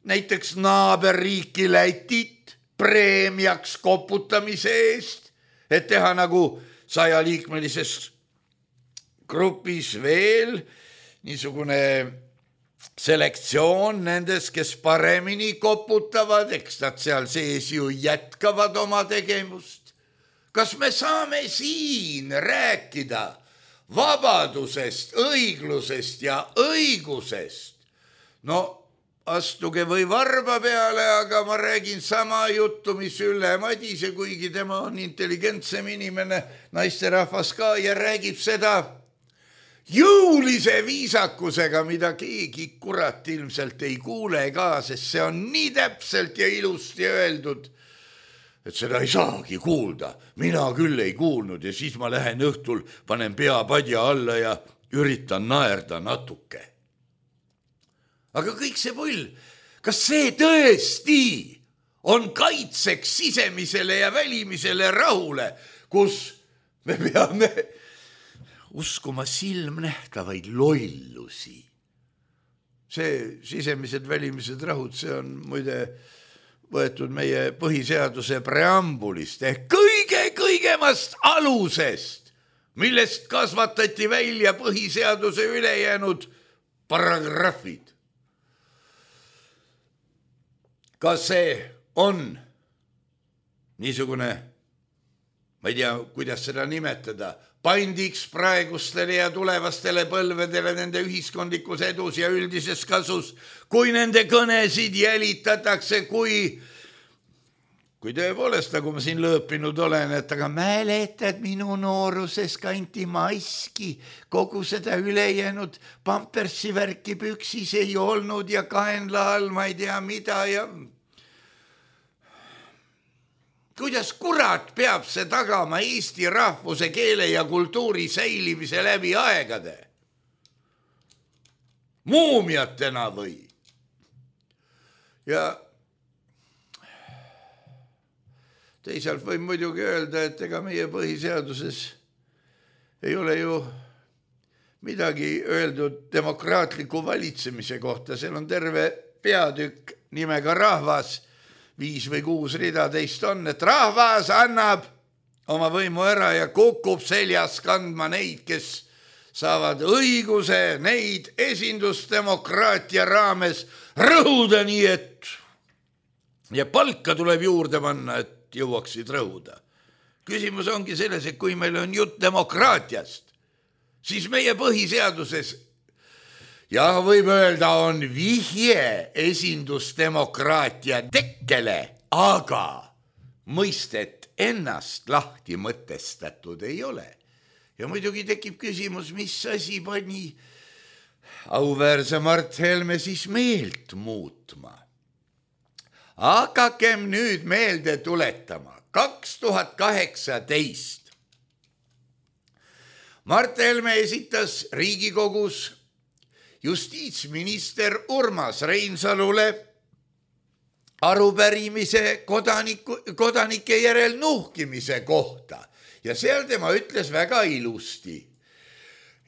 näiteks naaberriiki Lätit preemiaks koputamise eest, et teha nagu sajaliikmelises grupis veel niisugune selektsioon nendes, kes paremini koputavad, eks nad seal sees ju jätkavad oma tegevust. Kas me saame siin rääkida vabadusest, õiglusest ja õigusest? No astuge või varba peale, aga ma räägin sama juttu, mis Ülle Madise, kuigi tema on intelligentsem inimene, naisterahvas ka, ja räägib seda jõulise viisakusega, mida keegi kurat ilmselt ei kuule ka, sest see on nii täpselt ja ilusti öeldud, et seda ei saagi kuulda. Mina küll ei kuulnud ja siis ma lähen õhtul, panen pea padja alla ja üritan naerda natuke. Aga kõik see pull, kas see tõesti on kaitseks sisemisele ja välimisele rahule, kus me peame uskuma silmnähtavaid lollusi? See sisemised välimised rahud, see on muide võetud meie põhiseaduse preambulist ehk kõige-kõigemast alusest, millest kasvatati välja põhiseaduse ülejäänud paragrahvid. Kas see on niisugune, ma ei tea, kuidas seda nimetada, pandiks praegustele ja tulevastele põlvedele nende ühiskondlikus edus ja üldises kasus, kui nende kõnesid jälitatakse, kui, kui tõepoolest, nagu ma siin lõõpinud olen, et aga mäletad, minu nooruses kanti maski, kogu seda ülejäänud pampersi värki püksis ei olnud ja kaenla all ma ei tea mida ja kuidas kurat peab see tagama Eesti rahvuse, keele ja kultuuri säilimise läbi aegade? Muumiatena või? Ja teisalt võib muidugi öelda, et ega meie põhiseaduses ei ole ju midagi öeldud demokraatliku valitsemise kohta. Seal on terve peatükk nimega rahvas, viis või kuus rida teist on, et rahvas annab oma võimu ära ja kukub seljas kandma neid, kes saavad õiguse neid esindusdemokraatia raames rõhuda nii, et ja palka tuleb juurde panna, et jõuaksid rõhuda. Küsimus ongi selles, et kui meil on jutt demokraatiast, siis meie põhiseaduses ja võib öelda, on vihje esindusdemokraatia tekkele, aga mõistet ennast lahti mõtestatud ei ole. Ja muidugi tekib küsimus, mis asi pani auväärse Mart Helme siis meelt muutma. Hakakem nüüd meelde tuletama. kaks tuhat kaheksateist Mart Helme esitas Riigikogus justiitsminister Urmas Reinsalule arupärimise kodaniku, kodanike järel nuhkimise kohta ja seal tema ütles väga ilusti.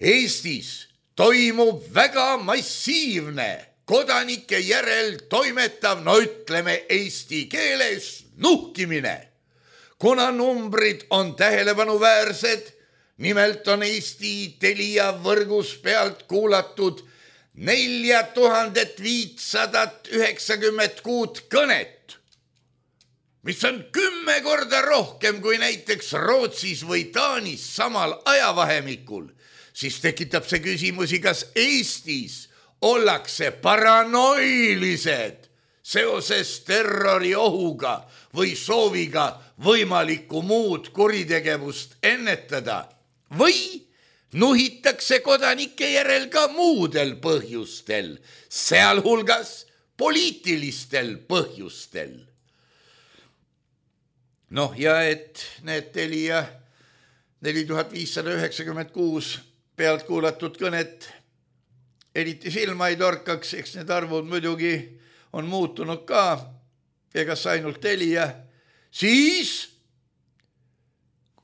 Eestis toimub väga massiivne kodanike järel toimetav, no ütleme eesti keeles, nuhkimine. Kuna numbrid on tähelepanuväärsed, nimelt on Eesti Telia võrgus pealt kuulatud nelja tuhandet viitsadat üheksakümmend kuut kõnet, mis on kümme korda rohkem kui näiteks Rootsis või Taanis samal ajavahemikul, siis tekitab see küsimusi, kas Eestis ollakse paranoilised seoses terroriohuga või sooviga võimalikku muud kuritegevust ennetada või nuhitakse kodanike järel ka muudel põhjustel, sealhulgas poliitilistel põhjustel. Noh, ja et need Telia neli tuhat viissada üheksakümmend kuus pealt kuulatud kõnet eriti silma ei torkaks, eks need arvud muidugi on muutunud ka, egas ainult Telia, siis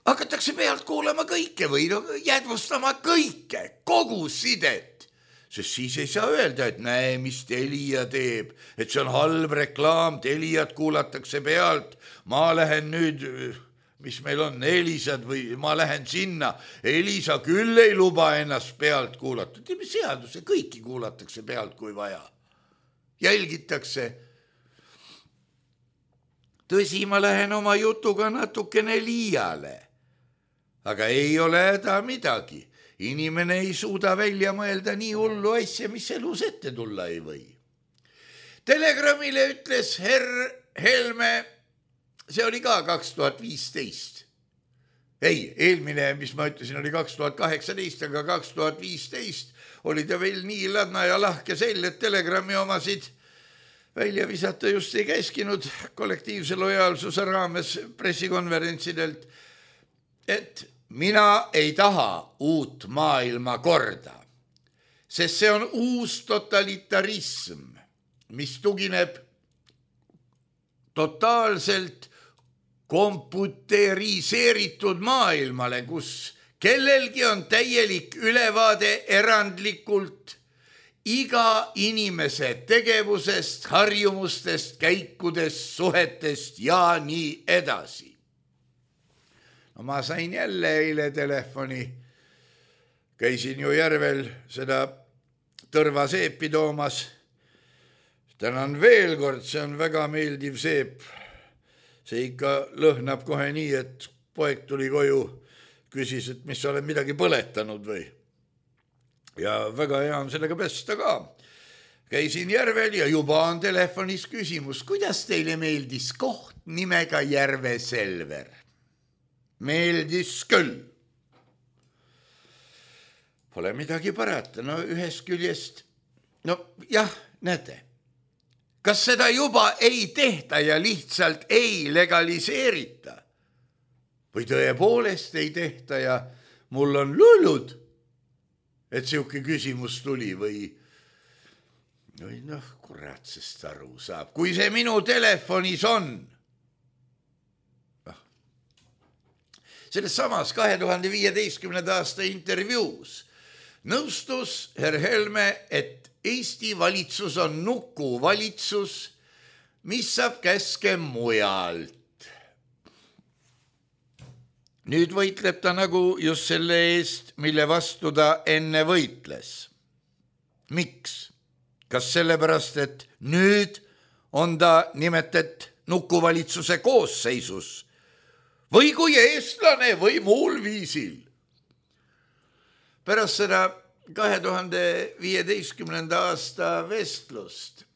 hakatakse pealt kuulama kõike või no, jäädvustama kõike, kogu sidet. Sest siis ei saa öelda, et näe, mis Telia teeb, et see on halb reklaam, Teliat kuulatakse pealt, ma lähen nüüd, mis meil on, Elisad või ma lähen sinna, Elisa küll ei luba ennast pealt kuulata. Teeme seaduse, kõiki kuulatakse pealt, kui vaja. Jälgitakse. Tõsi, ma lähen oma jutuga natukene liiale. Aga ei ole häda midagi. Inimene ei suuda välja mõelda nii hullu asja, mis elus ette tulla ei või. Telegramile ütles herr Helme, see oli ka kaks tuhat viisteist, ei, eelmine, mis ma ütlesin, oli kaks tuhat kaheksateist, aga kaks tuhat viisteist oli ta veel nii ladna ja lahke sel, et Telegrami omasid välja visata just ei käskinud kollektiivse lojaalsuse raames pressikonverentsidelt, et mina ei taha uut maailma korda, sest see on uus totalitarism, mis tugineb totaalselt komputeriseeritud maailmale, kus kellelgi on täielik ülevaade erandlikult iga inimese tegevusest, harjumustest, käikudest, suhetest ja nii edasi. No ma sain jälle eile telefoni, käisin ju Järvel seda tõrvaseepi toomas. Tänan veel kord, see on väga meeldiv seep. See ikka lõhnab kohe nii, et poeg tuli koju, küsis, et mis sa oled midagi põletanud või. Ja väga hea on sellega pesta ka. Käisin Järvel ja juba on telefonis küsimus, kuidas teile meeldis koht nimega Järve Selver? Meeldis küll. Pole midagi parata, no ühest küljest, no jah, näete. Kas seda juba ei tehta ja lihtsalt ei legaliseerita? Või tõepoolest ei tehta ja mul on lullud, et siuke küsimus tuli või, või noh, kurat, sest aru saab, kui see minu telefonis on. No. Selles samas kahe tuhande viieteistkümnenda aasta intervjuus nõustus herr Helme, et Eesti valitsus on nukuvalitsus, mis saab käske mujalt. Nüüd võitleb ta nagu just selle eest, mille vastu ta enne võitles. Miks? Kas sellepärast, et nüüd on ta nimetet nukuvalitsuse koosseisus või kui eestlane või muul viisil? Pärast seda kahe tuhande viieteistkümnenda aasta vestlust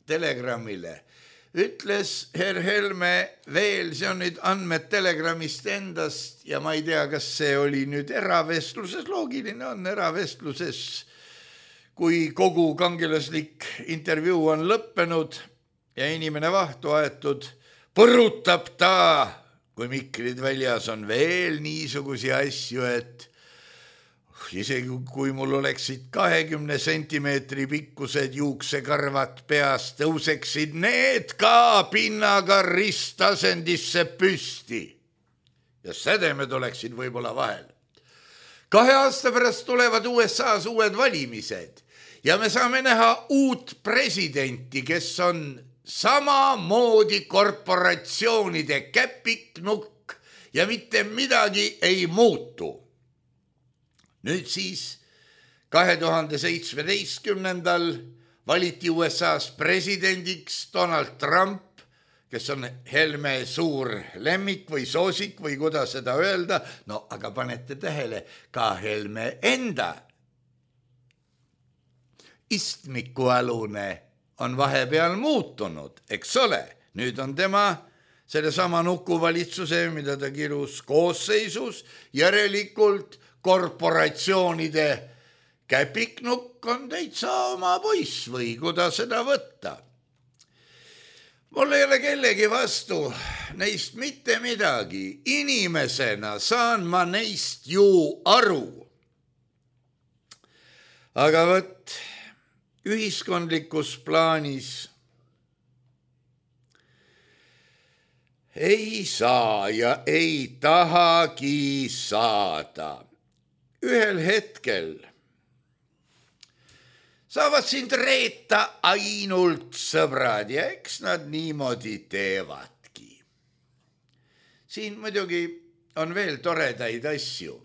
Telegramile ütles herr Helme veel, see on nüüd andmed Telegramist endast ja ma ei tea, kas see oli nüüd eravestluses, loogiline on eravestluses, kui kogu kangelaslik intervjuu on lõppenud ja inimene vahtu aetud, põrutab ta, kui mikrid väljas on veel niisugusi asju, et isegi kui mul oleksid kahekümne sentimeetri pikkused juuksekarvad peas, tõuseksid need ka pinnaga ristasendisse püsti. Ja sädemed oleksid võib-olla vahel. Kahe aasta pärast tulevad U S A-s uued valimised ja me saame näha uut presidenti, kes on samamoodi korporatsioonide käpiknukk ja mitte midagi ei muutu. Nüüd siis kahe tuhande seitsmeteistkümnendal valiti U S A-s presidendiks Donald Trump, kes on Helme suur lemmik või soosik või kuidas seda öelda, no aga panete tähele, ka Helme enda istmikualune on vahepeal muutunud, eks ole, nüüd on tema sellesama nukuvalitsuse, mida ta kirus koosseisus, järelikult korporatsioonide käpiknukk on täitsa oma poiss või kuidas seda võtta. Mul ei ole kellegi vastu neist mitte midagi. Inimesena saan ma neist ju aru. Aga võt, ühiskondlikus plaanis ei saa ja ei tahagi saada. Ühel hetkel saavad sind reeta ainult sõbrad ja eks nad niimoodi teevadki. Siin muidugi on veel toredaid asju,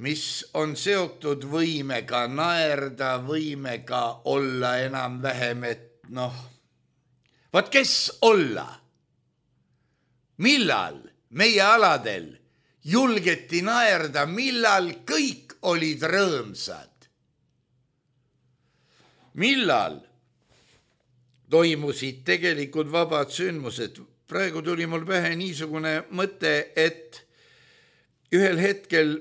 mis on seotud võimega naerda, võimega olla enam-vähem, et noh, vaat kes olla? Millal meie aladel julgeti naerda, millal kõik olid rõõmsad? Millal toimusid tegelikult vabad sündmused? praegu tuli mul pähe niisugune mõte, et ühel hetkel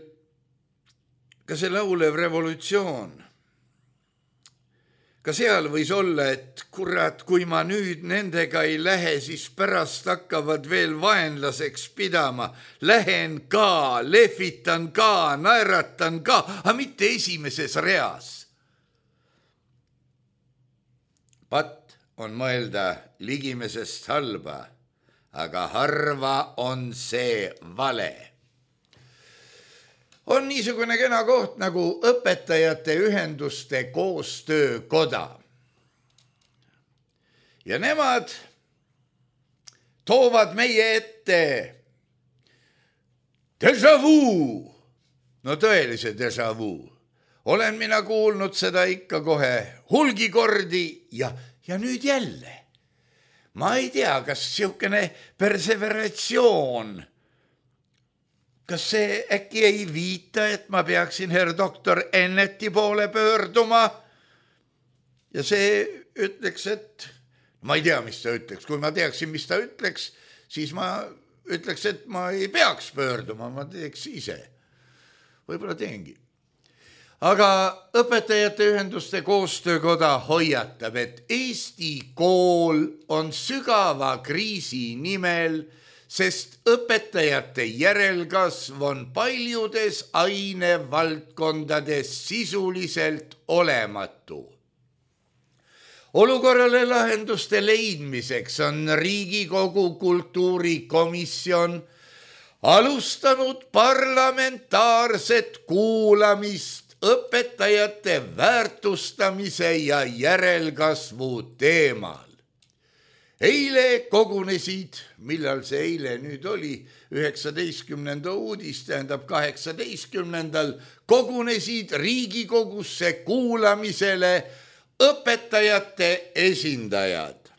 ka see laulev revolutsioon, ka seal võis olla, et kurat, kui ma nüüd nendega ei lähe, siis pärast hakkavad veel vaenlaseks pidama. Lähen ka, lehvitan ka, naeratan ka, aga mitte esimeses reas. Pat on mõelda ligimesest halba, aga harva on see vale. On niisugune kena koht nagu õpetajate ühenduste koostöökoda. Ja nemad toovad meie ette déjà vu. No tõelise déjà vu. Olen mina kuulnud seda ikka kohe hulgi kordi ja, ja nüüd jälle. Ma ei tea, kas siukene perseveratsioon, kas see äkki ei viita, et ma peaksin herr doktor Enneti poole pöörduma ja see ütleks, et ma ei tea, mis ta ütleks. Kui ma teaksin, mis ta ütleks, siis ma ütleks, et ma ei peaks pöörduma, ma teeks ise. Võib-olla teengi. Aga õpetajate ühenduste koostöökoda hoiatab, et Eesti kool on sügava kriisi nimel, sest õpetajate järelkasv on paljudes ainevaldkondades sisuliselt olematu. Olukorrale lahenduste leidmiseks on Riigikogu kultuurikomisjon alustanud parlamentaarset kuulamist õpetajate väärtustamise ja järelkasvu teemal. Eile kogunesid, millal see eile nüüd oli, üheksateistkümnenda uudis, tähendab kaheksateistkümnendal, kogunesid Riigikogusse kuulamisele õpetajate esindajad.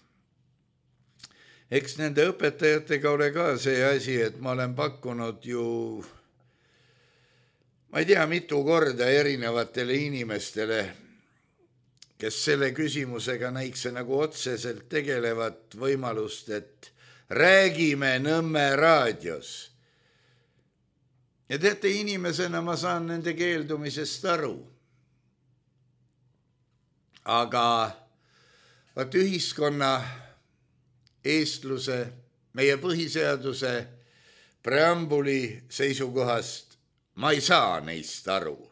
Eks nende õpetajatega ole ka see asi, et ma olen pakkunud ju, ma ei tea, mitu korda erinevatele inimestele, kes selle küsimusega näikse nagu otseselt tegelevat võimalust, et räägime Nõmme raadios. Ja teate, inimesena ma saan nende keeldumisest aru. Aga vaat ühiskonna eestluse, meie põhiseaduse preambuli seisukohast ma ei saa neist aru.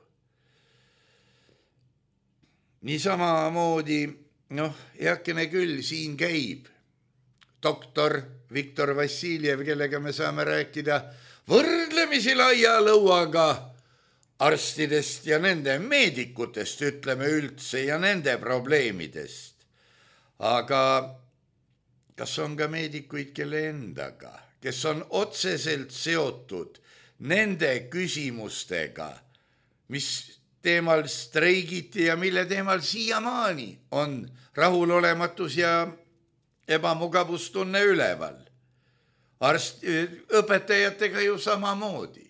Niisama moodi, noh, heakene küll, siin käib doktor Viktor Vassiljev, kellega me saame rääkida võrdlemisi laia lõuaga arstidest ja nende meedikutest, ütleme üldse, ja nende probleemidest. Aga kas on ka meedikuid, kelle endaga, kes on otseselt seotud nende küsimustega, mis teemal streigiti ja mille teemal siiamaani on rahulolematus ja ebamugavustunne üleval. Arst, õpetajatega ju samamoodi.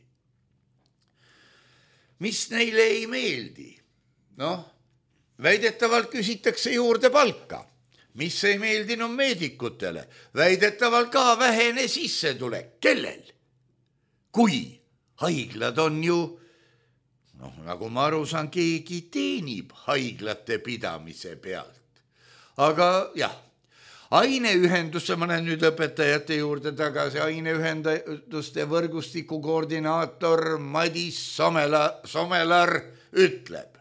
Mis neile ei meeldi? Noh, väidetavalt küsitakse juurde palka. Mis ei meeldinud meedikutele? Väidetavalt ka vähene sissetulek. Kellel? Kui haiglad on ju, noh, nagu ma aru saan, keegi teenib haiglate pidamise pealt. Aga jah, aineühendusse, ma olen nüüd õpetajate juurde tagasi, aineühenduste võrgustiku koordinaator Madis Somela, Somelar ütleb,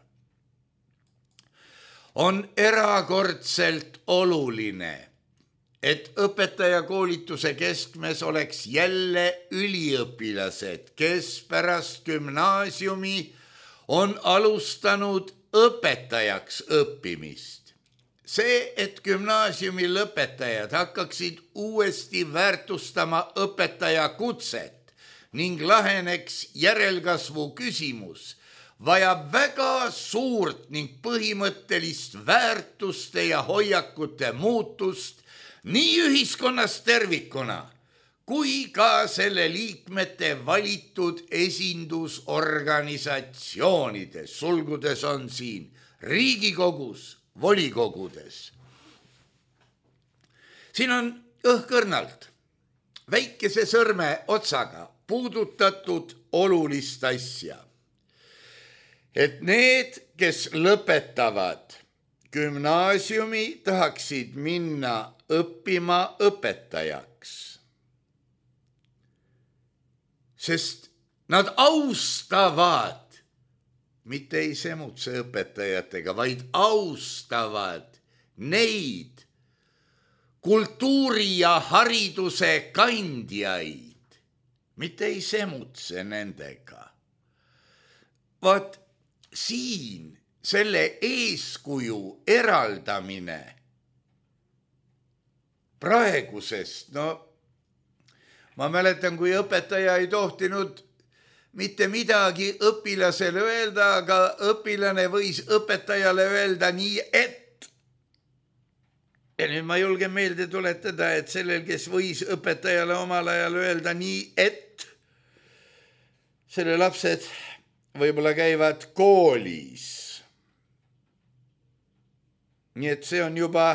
on erakordselt oluline, et õpetajakoolituse keskmes oleks jälle üliõpilased, kes pärast gümnaasiumi on alustanud õpetajaks õppimist. See, et gümnaasiumi lõpetajad hakkaksid uuesti väärtustama õpetaja kutset ning laheneks järelkasvu küsimus, vajab väga suurt ning põhimõttelist väärtuste ja hoiakute muutust nii ühiskonnas tervikuna, kui ka selle liikmete valitud esindusorganisatsioonides, sulgudes on siin Riigikogus, volikogudes. Siin on õhkõrnalt väikese sõrme otsaga puudutatud olulist asja. Et need, kes lõpetavad gümnaasiumi, tahaksid minna õppima õpetajaks. Sest nad austavad, mitte ei semutse õpetajatega, vaid austavad neid kultuuri ja hariduse kandjaid, mitte ei semutse nendega. Vaat siin selle eeskuju eraldamine praegusest, no ma mäletan, kui õpetaja ei tohtinud mitte midagi õpilasele öelda, aga õpilane võis õpetajale öelda nii, et. Ja nüüd ma julgen meelde tuletada, et sellel, kes võis õpetajale omal ajal öelda nii, et selle lapsed võib-olla käivad koolis. Nii et see on juba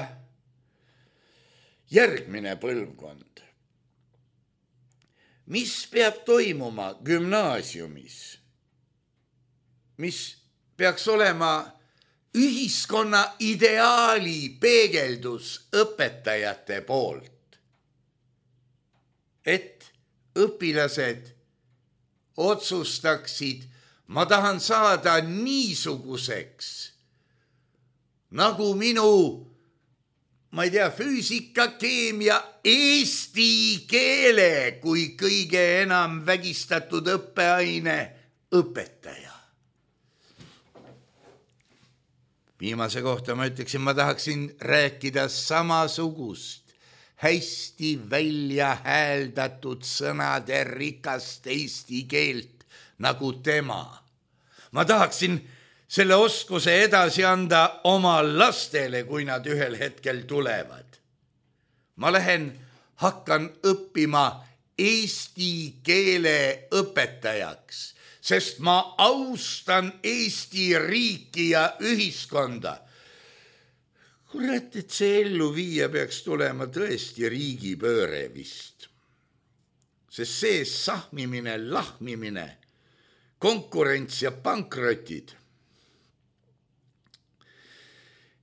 järgmine põlvkond. Mis peab toimuma gümnaasiumis? Mis peaks olema ühiskonna ideaali peegeldus õpetajate poolt? Et õpilased otsustaksid, ma tahan saada niisuguseks, nagu minu, ma ei tea, füüsika, keemia, eesti keele kui kõige enam vägistatud õppeaine õpetaja. Viimase kohta ma ütleksin, ma tahaksin rääkida samasugust, hästi välja hääldatud sõnade rikast eesti keelt nagu tema. Ma tahaksin selle oskuse edasi anda oma lastele, kui nad ühel hetkel tulevad. Ma lähen, hakkan õppima eesti keele õpetajaks, sest ma austan Eesti riiki ja ühiskonda. Kurat, et see ellu viia peaks tulema tõesti riigipööre vist. Sest see sahmimine, lahmimine, konkurents ja pankrotid.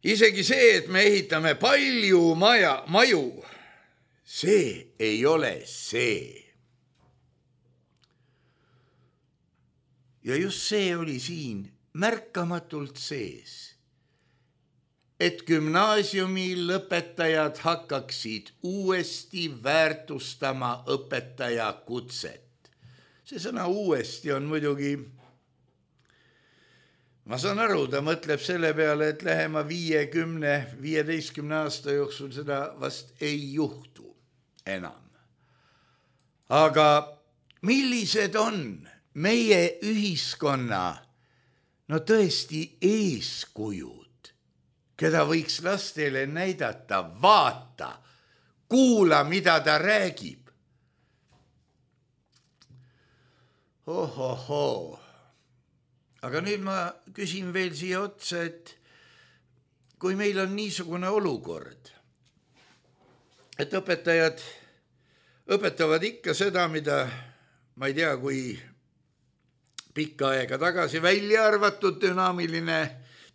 Isegi see, et me ehitame palju maja, maju, see ei ole see. Ja just see oli siin märkamatult sees, et gümnaasiumi lõpetajad hakkaksid uuesti väärtustama õpetaja kutset. See sõna uuesti on muidugi, ma saan aru, ta mõtleb selle peale, et lähema viiekümne, viieteistkümne aasta jooksul seda vast ei juhtu enam. Aga millised on meie ühiskonna, no tõesti eeskujud, keda võiks lastele näidata, vaata, kuula, mida ta räägib. Ohohoo. Aga nüüd ma küsin veel siia otsa, et kui meil on niisugune olukord, et õpetajad õpetavad ikka seda, mida ma ei tea, kui pikka aega tagasi välja arvatud dünaamiline,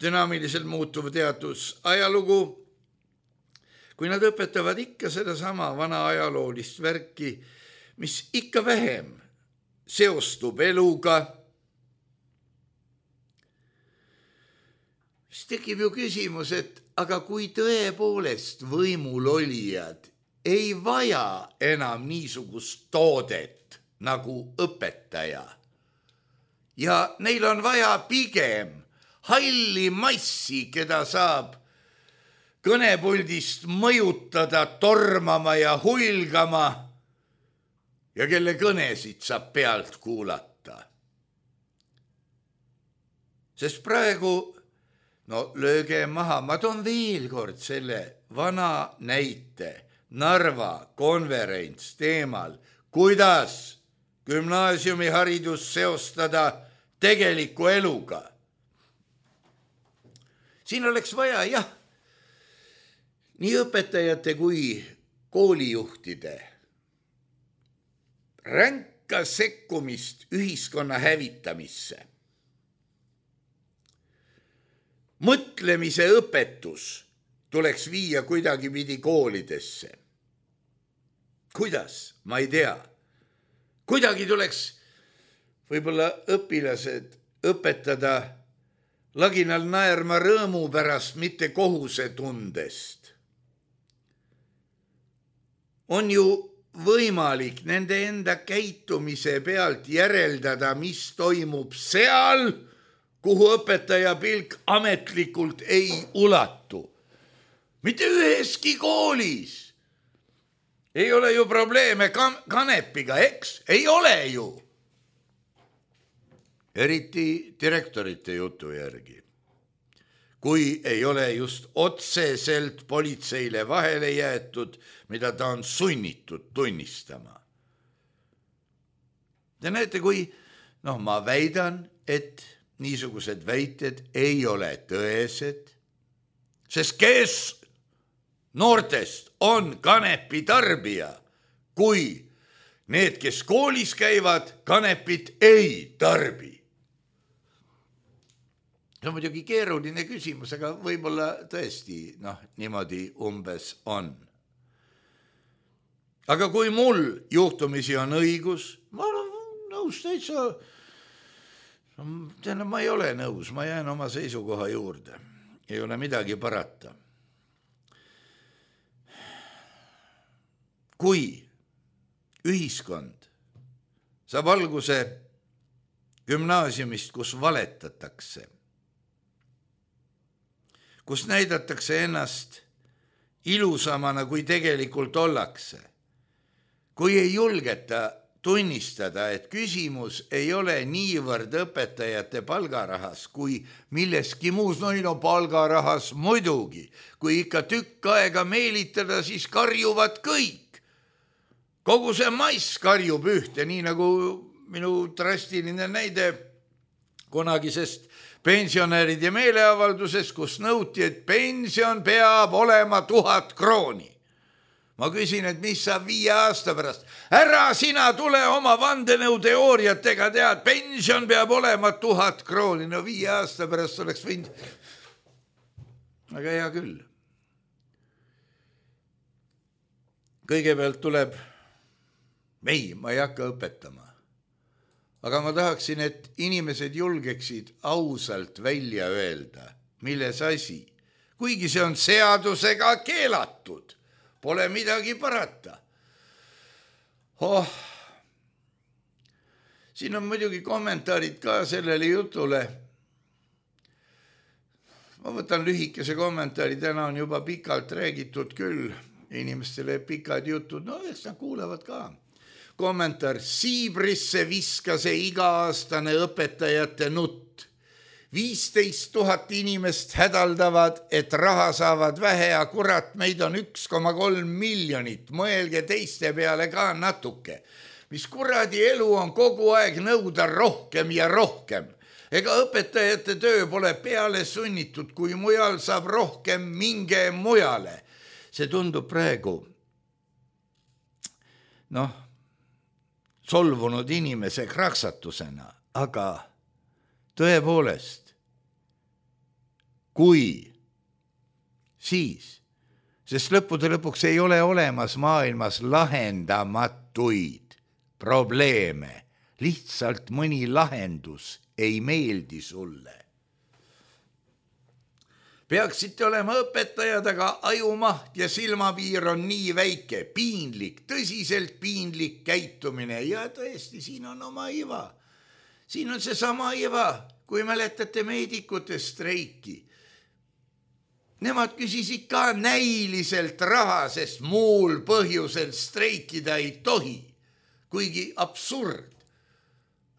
dünaamiliselt muutuv teadus ajalugu, kui nad õpetavad ikka sedasama vana ajaloolist värki, mis ikka vähem seostub eluga, siis tekib ju küsimus, et aga kui tõepoolest võimul olijad ei vaja enam niisugust toodet nagu õpetaja ja neil on vaja pigem halli massi, keda saab kõnepuldist mõjutada, tormama ja hulgama ja kelle kõnesid saab pealt kuulata. Sest praegu, no lööge maha, ma toon veel kord selle vana näite, Narva konverents teemal, kuidas gümnaasiumiharidus seostada tegeliku eluga. Siin oleks vaja, jah, nii õpetajate kui koolijuhtide ränka sekkumist ühiskonna hävitamisse. Mõtlemise õpetus tuleks viia kuidagi pidi koolidesse. Kuidas? Ma ei tea. Kuidagi tuleks võib-olla õpilased õpetada laginal naerma rõõmu pärast, mitte kohuse tundest. On ju võimalik nende enda käitumise pealt järeldada, mis toimub seal, kuhu õpetaja pilk ametlikult ei ulatu. Mitte üheski koolis. Ei ole ju probleeme kanepiga, eks? Ei ole ju. Eriti direktorite jutu järgi. Kui ei ole just otseselt politseile vahele jäetud, mida ta on sunnitud tunnistama. Te näete, kui, noh, ma väidan, et niisugused väited ei ole tõesed, sest kes noortest on kanepi tarbija, kui need, kes koolis käivad, kanepit ei tarbi. See on muidugi keeruline küsimus, aga võib-olla tõesti, noh, niimoodi umbes on. Aga kui mul juhtumisi on õigus, ma olen nõus täitsa, ma ei ole nõus, ma jään oma seisukoha juurde. Ei ole midagi parata. Kui ühiskond saab alguse gümnaasiumist, kus valetatakse, kus näidatakse ennast ilusamana, kui tegelikult ollakse, kui ei julgeta tunnistada, et küsimus ei ole niivõrd õpetajate palgarahas, kui milleski muus, no ei no palgarahas muidugi, kui ikka tükk aega meelitada, siis karjuvad kõik. Kogu see mass karjub ühte, nii nagu minu drastiline näide kunagisest pensionäride meeleavalduses, kus nõuti, et pension peab olema tuhat krooni. Ma küsin, et mis saab viie aasta pärast. Ära sina tule oma vandenõuteooriatega tead, pension peab olema tuhat krooni. No viie aasta pärast oleks võinud. Aga hea küll. Kõigepealt tuleb ei, ma ei hakka õpetama. Aga ma tahaksin, et inimesed julgeksid ausalt välja öelda, milles asi. Kuigi see on seadusega keelatud, pole midagi parata. Oh, siin on muidugi kommentaarid ka sellele jutule. Ma võtan lühikese kommentaari, täna on juba pikalt räägitud küll. Inimestele pikad jutud, no eks nad kuulevad ka. Kommentaar, Siibrisse viskas see iga-aastane õpetajate nutt. viisteist tuhat inimest hädaldavad, et raha saavad vähe ja kurat, meid on üks koma kolm miljonit. Mõelge teiste peale ka natuke. Mis kuradi elu on kogu aeg nõuda rohkem ja rohkem. Ega õpetajate töö pole peale sunnitud, kui mujal saab rohkem, minge mujale. See tundub praegu, noh, solvunud inimese kraksatusena, aga tõepoolest, kui siis, sest lõppude lõpuks ei ole olemas maailmas lahendamatuid probleeme, lihtsalt mõni lahendus ei meeldi sulle. Peaksite olema õpetajad, aga ajumaht ja silmapiir on nii väike, piinlik, tõsiselt piinlik käitumine ja tõesti, siin on oma iva. Siin on see sama iva, kui mäletate meedikute streiki. Nemad küsisid ka näiliselt raha, sest muul põhjusel streikida ei tohi, kuigi absurd.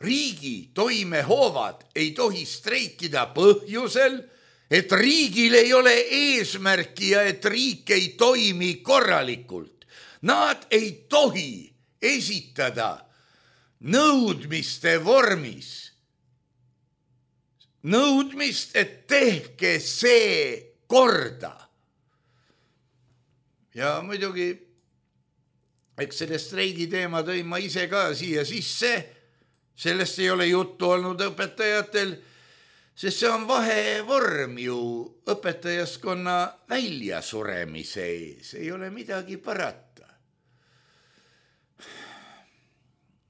Riigi toimehoovad ei tohi streikida põhjusel, et riigil ei ole eesmärki ja et riik ei toimi korralikult. Nad ei tohi esitada nõudmiste vormis. Nõudmist, et tehke see korda. Ja muidugi eks selle streigi teema tõin ma ise ka siia sisse, sellest ei ole juttu olnud õpetajatel, sest see on vahevorm ju õpetajaskonna väljasuremise ees, ei ole midagi parata.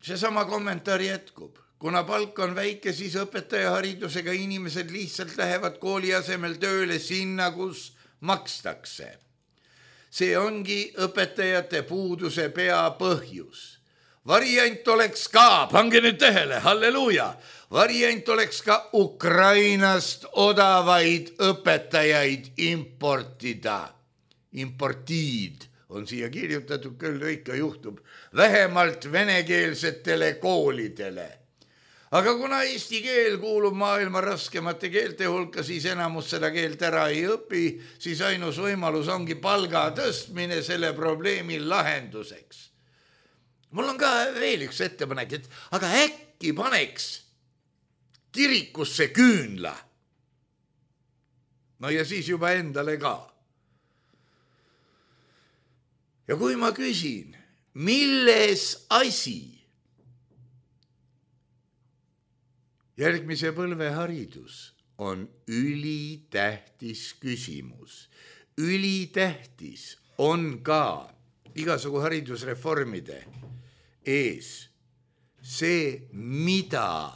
Seesama kommentaar jätkub. Kuna palk on väike, siis õpetajaharidusega inimesed lihtsalt lähevad kooli asemel tööle sinna, kus makstakse. See ongi õpetajate puuduse peapõhjus. Variant oleks ka, pange nüüd tähele, halleluuja, variant oleks ka Ukrainast odavaid õpetajaid importida. Importiid on siia kirjutatud, küll ikka juhtub, vähemalt venekeelsetele koolidele. Aga kuna eesti keel kuulub maailma raskemate keelte hulka, siis enamus seda keelt ära ei õpi, siis ainus võimalus ongi palga tõstmine selle probleemi lahenduseks. Mul on ka veel üks ettepanek, et aga äkki paneks kirikusse küünla. No ja siis juba endale ka. Ja kui ma küsin, milles asi? Järgmise põlve haridus on ülitähtis küsimus. Ülitähtis on ka igasugu haridusreformide ees see, mida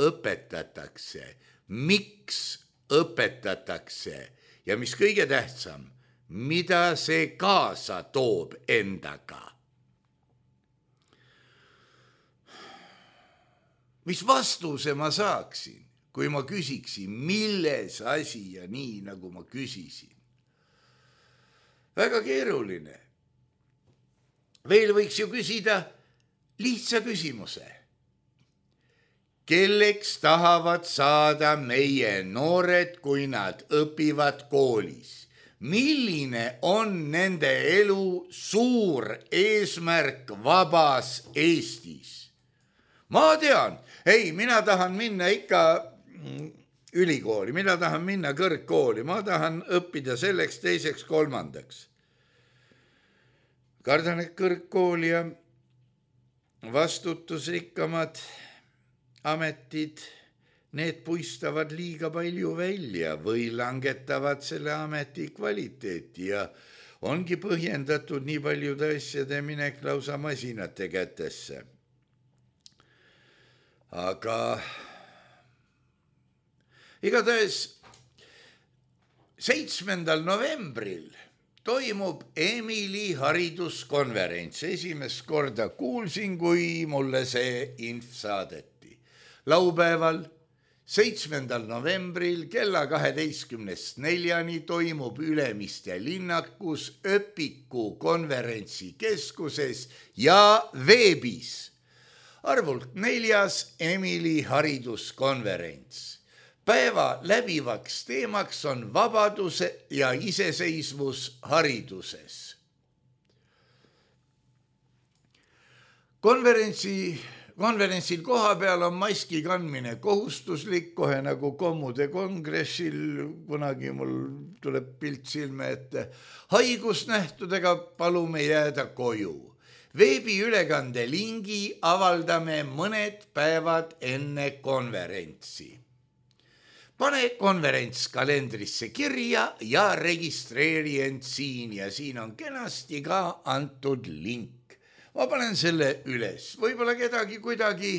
õpetatakse, miks õpetatakse ja mis kõige tähtsam, mida see kaasa toob endaga. Mis vastuse ma saaksin, kui ma küsiksin, milles asi ja nii, nagu ma küsisin? Väga keeruline. Veel võiks ju küsida lihtsa küsimuse. Kelleks tahavad saada meie noored, kui nad õpivad koolis? Milline on nende elu suur eesmärk vabas Eestis? Ma tean, ei, mina tahan minna ikka ülikooli, mina tahan minna kõrgkooli, ma tahan õppida selleks, teiseks, kolmandaks. Kardan, et kõrgkooli ja vastutusrikkamad ametid, need puistavad liiga palju välja või langetavad selle ameti kvaliteeti ja ongi põhjendatud nii paljude asjade minek lausa masinate kätesse. Aga igatahes seitsmendal novembril toimub Emily hariduskonverents. Esimest korda kuulsin, kui mulle see inf saadeti. Laupäeval seitsmendal novembril kella kaheteistkümnest neljani toimub Ülemiste linnakus Öpiku konverentsikeskuses ja veebis. Arvult neljas Emily hariduskonverents. Päeva läbivaks teemaks on vabaduse ja iseseisvus hariduses. Konverentsi, konverentsil koha peal on maski kandmine kohustuslik, kohe nagu kommude kongressil, kunagi mul tuleb pilt silme ette. Haigusnähtudega palume jääda koju. Veebiülekande lingi avaldame mõned päevad enne konverentsi. Pane konverents kalendrisse kirja ja registreeri end siin ja siin on kenasti ka antud link. Ma panen selle üles, võib-olla kedagi kuidagi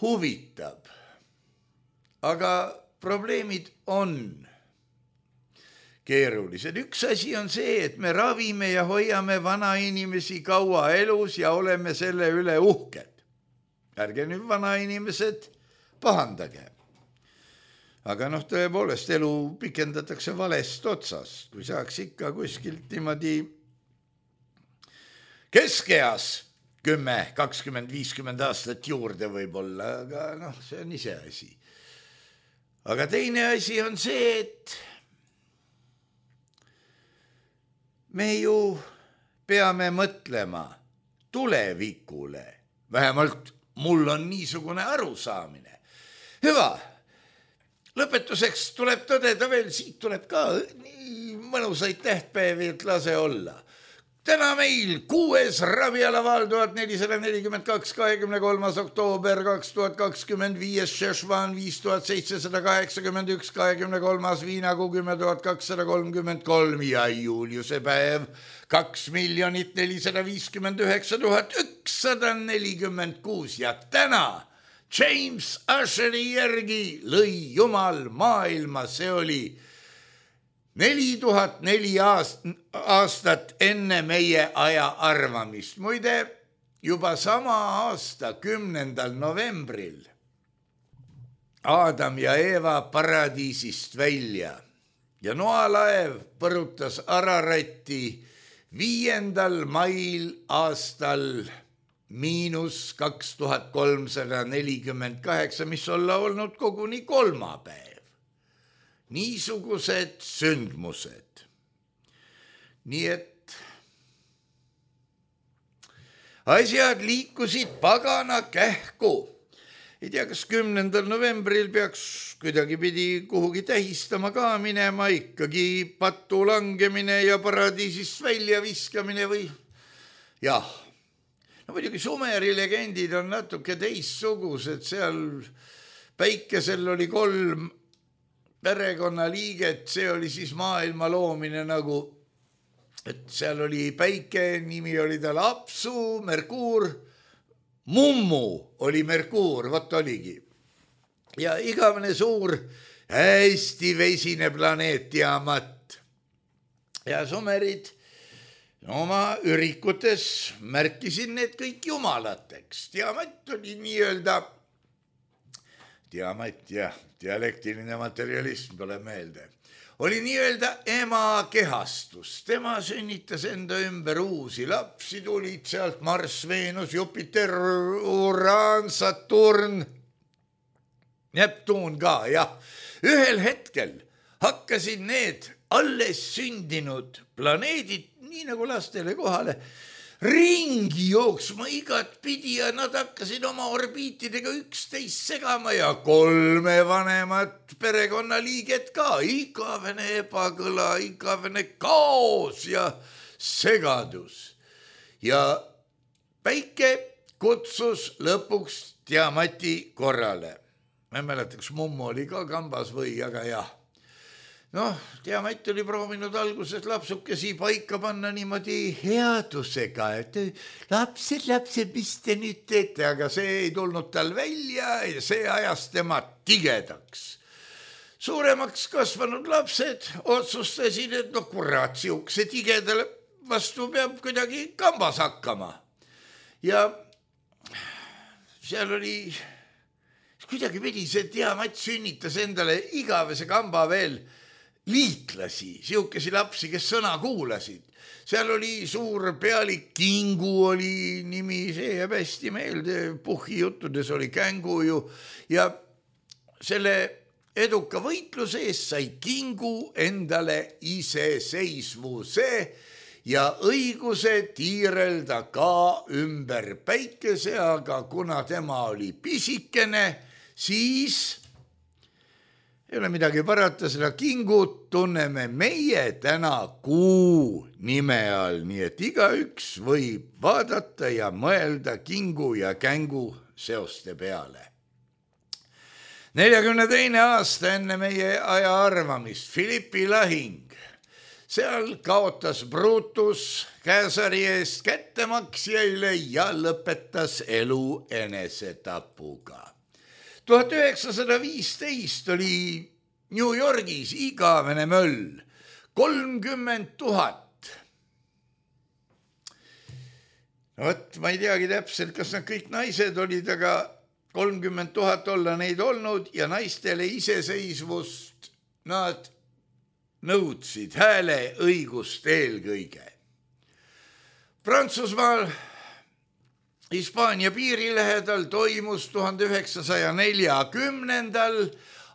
huvitab. Aga probleemid on keerulised. Üks asi on see, et me ravime ja hoiame vana inimesi kaua elus ja oleme selle üle uhked. Ärge nüüd vana inimesed pahandage. Aga noh, tõepoolest elu pikendatakse valest otsast, kui saaks ikka kuskilt niimoodi keskeas kümme, kakskümmend, viiskümmend aastat juurde võib-olla, aga noh, see on ise asi. Aga teine asi on see, et me ju peame mõtlema tulevikule. Vähemalt mul on niisugune arusaamine. Hüva, lõpetuseks tuleb tõdeda veel, siit tuleb ka nii mõnusaid tähtpäevi, et lase olla. täna meil kuues ravialaval tuhat nelisada nelikümmend kaks, kahekümne kolmas oktoober kaks tuhat kakskümmend viis, Šešvan viis tuhat seitsesada kaheksakümmend üks, kahekümne kolmas Viinakuu kümme tuhat kakssada kolmkümmend kolm ja Juliuse päev kaks miljonit nelisada viiskümmend üheksa tuhat ükssada nelikümmend kuus ja täna James Usheri järgi lõi Jumal maailma, see oli neli tuhat neli aastat enne meie aja arvamist. Muide, juba sama aasta kümnendal novembril Adam ja Eeva paradiisist välja ja noalaev põrutas Araratti viiendal mail aastal miinus kaks tuhat kolmsada nelikümmend kaheksa, mis olla olnud koguni kolmapäev. Niisugused sündmused. Nii et asjad liikusid pagana kähku. Ei tea, kas kümnendal novembril peaks kuidagi pidi kuhugi tähistama ka minema, ikkagi patu langemine ja paradiisist välja viskamine või? Jah, no muidugi Sumeri legendid on natuke teistsugused, seal päikesel oli kolm perekonnaliiget, see oli siis maailma loomine nagu, et seal oli päike, nimi oli tal Apsu, Merkuur, Mummu oli Merkuur, vot oligi. Ja igavene suur, hästi vesine planeet Tiamat. Ja Sumerid oma ürikutes märkisid need kõik jumalateks. Tiamat oli nii-öelda, Tiamat jah, dialektiline materialism tuleb meelde, oli nii-öelda ema kehastus. Tema sünnitas enda ümber uusi lapsi, tulid sealt Marss, Veenus, Jupiter, Uraan, Saturn, Neptuun ka, jah. Ühel hetkel hakkasid need alles sündinud planeedid, nii nagu lastele kohale, ringi jooksma igat pidi ja nad hakkasid oma orbiitidega üksteist segama ja kolme vanemat perekonnaliiget ka. Igavene ebakõla, igavene kaos ja segadus. Ja päike kutsus lõpuks Tiamati korrale. Ma ei mäleta, kas Mummu oli ka kambas või, aga jah. Noh, Tiamat oli proovinud alguses lapsukesi paika panna niimoodi headusega, et lapsed, lapsed, mis te nüüd teete, aga see ei tulnud tal välja ja see ajas tema tigedaks. Suuremaks kasvanud lapsed otsustasid, et no kurat, siukse tigedale vastu peab kuidagi kambas hakkama. Ja seal oli, kuidagi pidi see Tiamat sünnitas endale igavese kamba veel liitlasi, siukesi lapsi, kes sõna kuulasid. Seal oli suur pealik Kingu oli nimi, see jääb hästi meelde, Puhhi juttudes oli Kängu ju ja selle eduka võitluse eest sai Kingu endale iseseisvuse ja õiguse tiirelda ka ümber päikese, aga kuna tema oli pisikene, siis ei ole midagi parata, seda Kingut tunneme meie täna Kuu nime all, nii et igaüks võib vaadata ja mõelda Kingu ja Kängu seoste peale. neljakümne teine aasta enne meie aja arvamist, Philippi lahing. Seal kaotas Brutus Käsari eest kättemaksjaile ja lõpetas elu enesetapuga. tuhat üheksasada viisteist oli New Yorgis igavene möll, kolmkümmend tuhat. No võt, ma ei teagi täpselt, kas nad kõik naised olid, aga kolmkümmend tuhat olla neid olnud ja naistele iseseisvust nad nõudsid, hääle õigust eelkõige. Prantsusmaal Hispaania piiri lähedal toimus tuhande üheksasaja neljakümnendal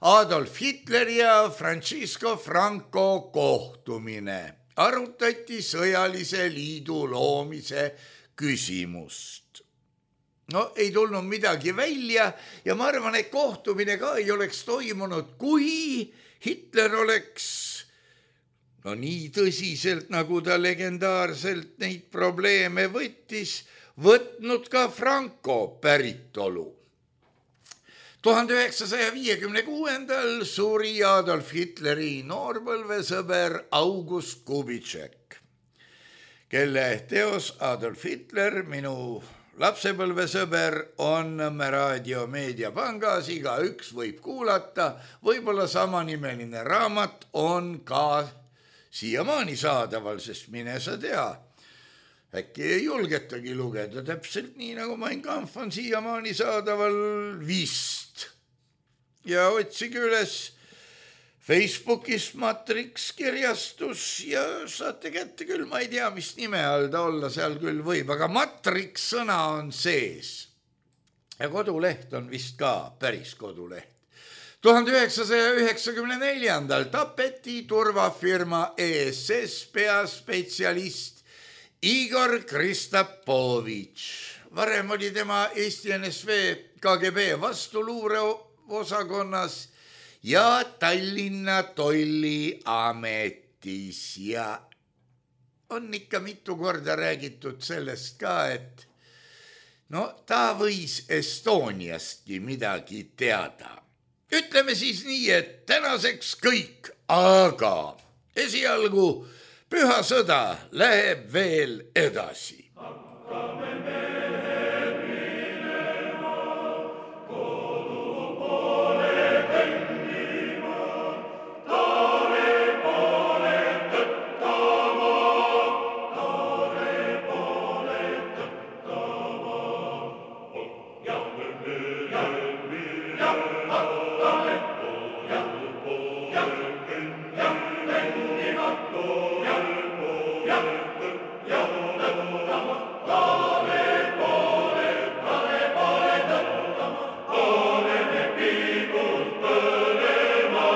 Adolf Hitler ja Francisco Franco kohtumine. Arutati sõjalise liidu loomise küsimust. No ei tulnud midagi välja ja ma arvan, et kohtumine ka ei oleks toimunud, kui Hitler oleks no nii tõsiselt, nagu ta legendaarselt neid probleeme võttis, võtnud ka Franco päritolu. tuhande üheksasaja viiekümne kuuendal suri Adolf Hitleri noorpõlvesõber August Kubitšek, kelle teos Adolf Hitler, minu lapsepõlvesõber, on Nõmme raadio meediapangas, igaüks võib kuulata, võib-olla samanimeline raamat on ka siiamaani saadaval, sest mine sa tea, äkki ei julgetagi lugeda, täpselt nii nagu Mein Kampf on siiamaani saadaval vist. Ja otsige üles Facebookis Matrix kirjastus ja saate kätte küll, ma ei tea, mis nime all ta olla seal küll võib, aga Matrix sõna on sees. Ja koduleht on vist ka päris koduleht. tuhande üheksasaja üheksakümne neljandal tapeti turvafirma E S S peaspetsialist Igor Kristapovitš. Varem oli tema Eesti N S V K G B vastuluureosakonnas ja Tallinna tolliametis ja on ikka mitu korda räägitud sellest ka, et no ta võis Estoniastki midagi teada. Ütleme siis nii, et tänaseks kõik, aga esialgu püha sõda läheb veel edasi. Hakkame mehed minema, kodu poole kõndima, taare poole tõttama, taare poole tõttama. Ja minema, ja hakkame poole poole kõndima, kõndima poole poole tõttama, taare poole, taare poole tõttama, oleme piibud põlema,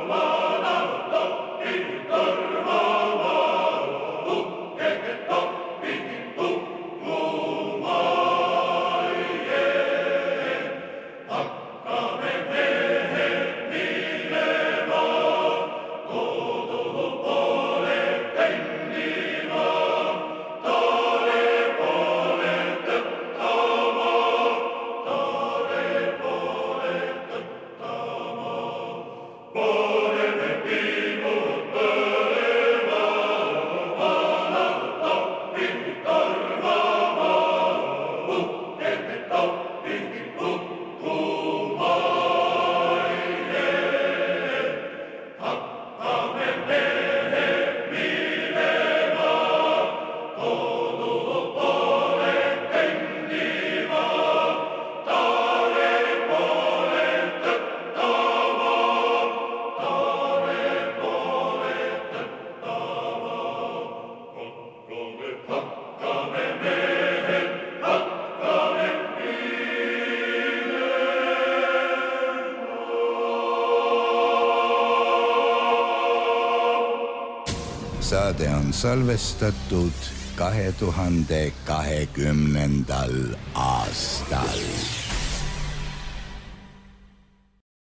vaadavad toppid tormama, uhkeke toppid hukkuma. Hakkame mehed minema, kodu poole kõndima, taare poole tõttama, taare poole tõttama. Oleme piibud põlema, vaadavad toppid tormama, uhkeke toppid hukkuma. Hakkame mehed minema, kodu poole kõndima, taare poole tõttama, taare poole tõttama. Hakkame mehed, hakkame Saade on salvestatud kahe tuhande kahekümnendal aastal.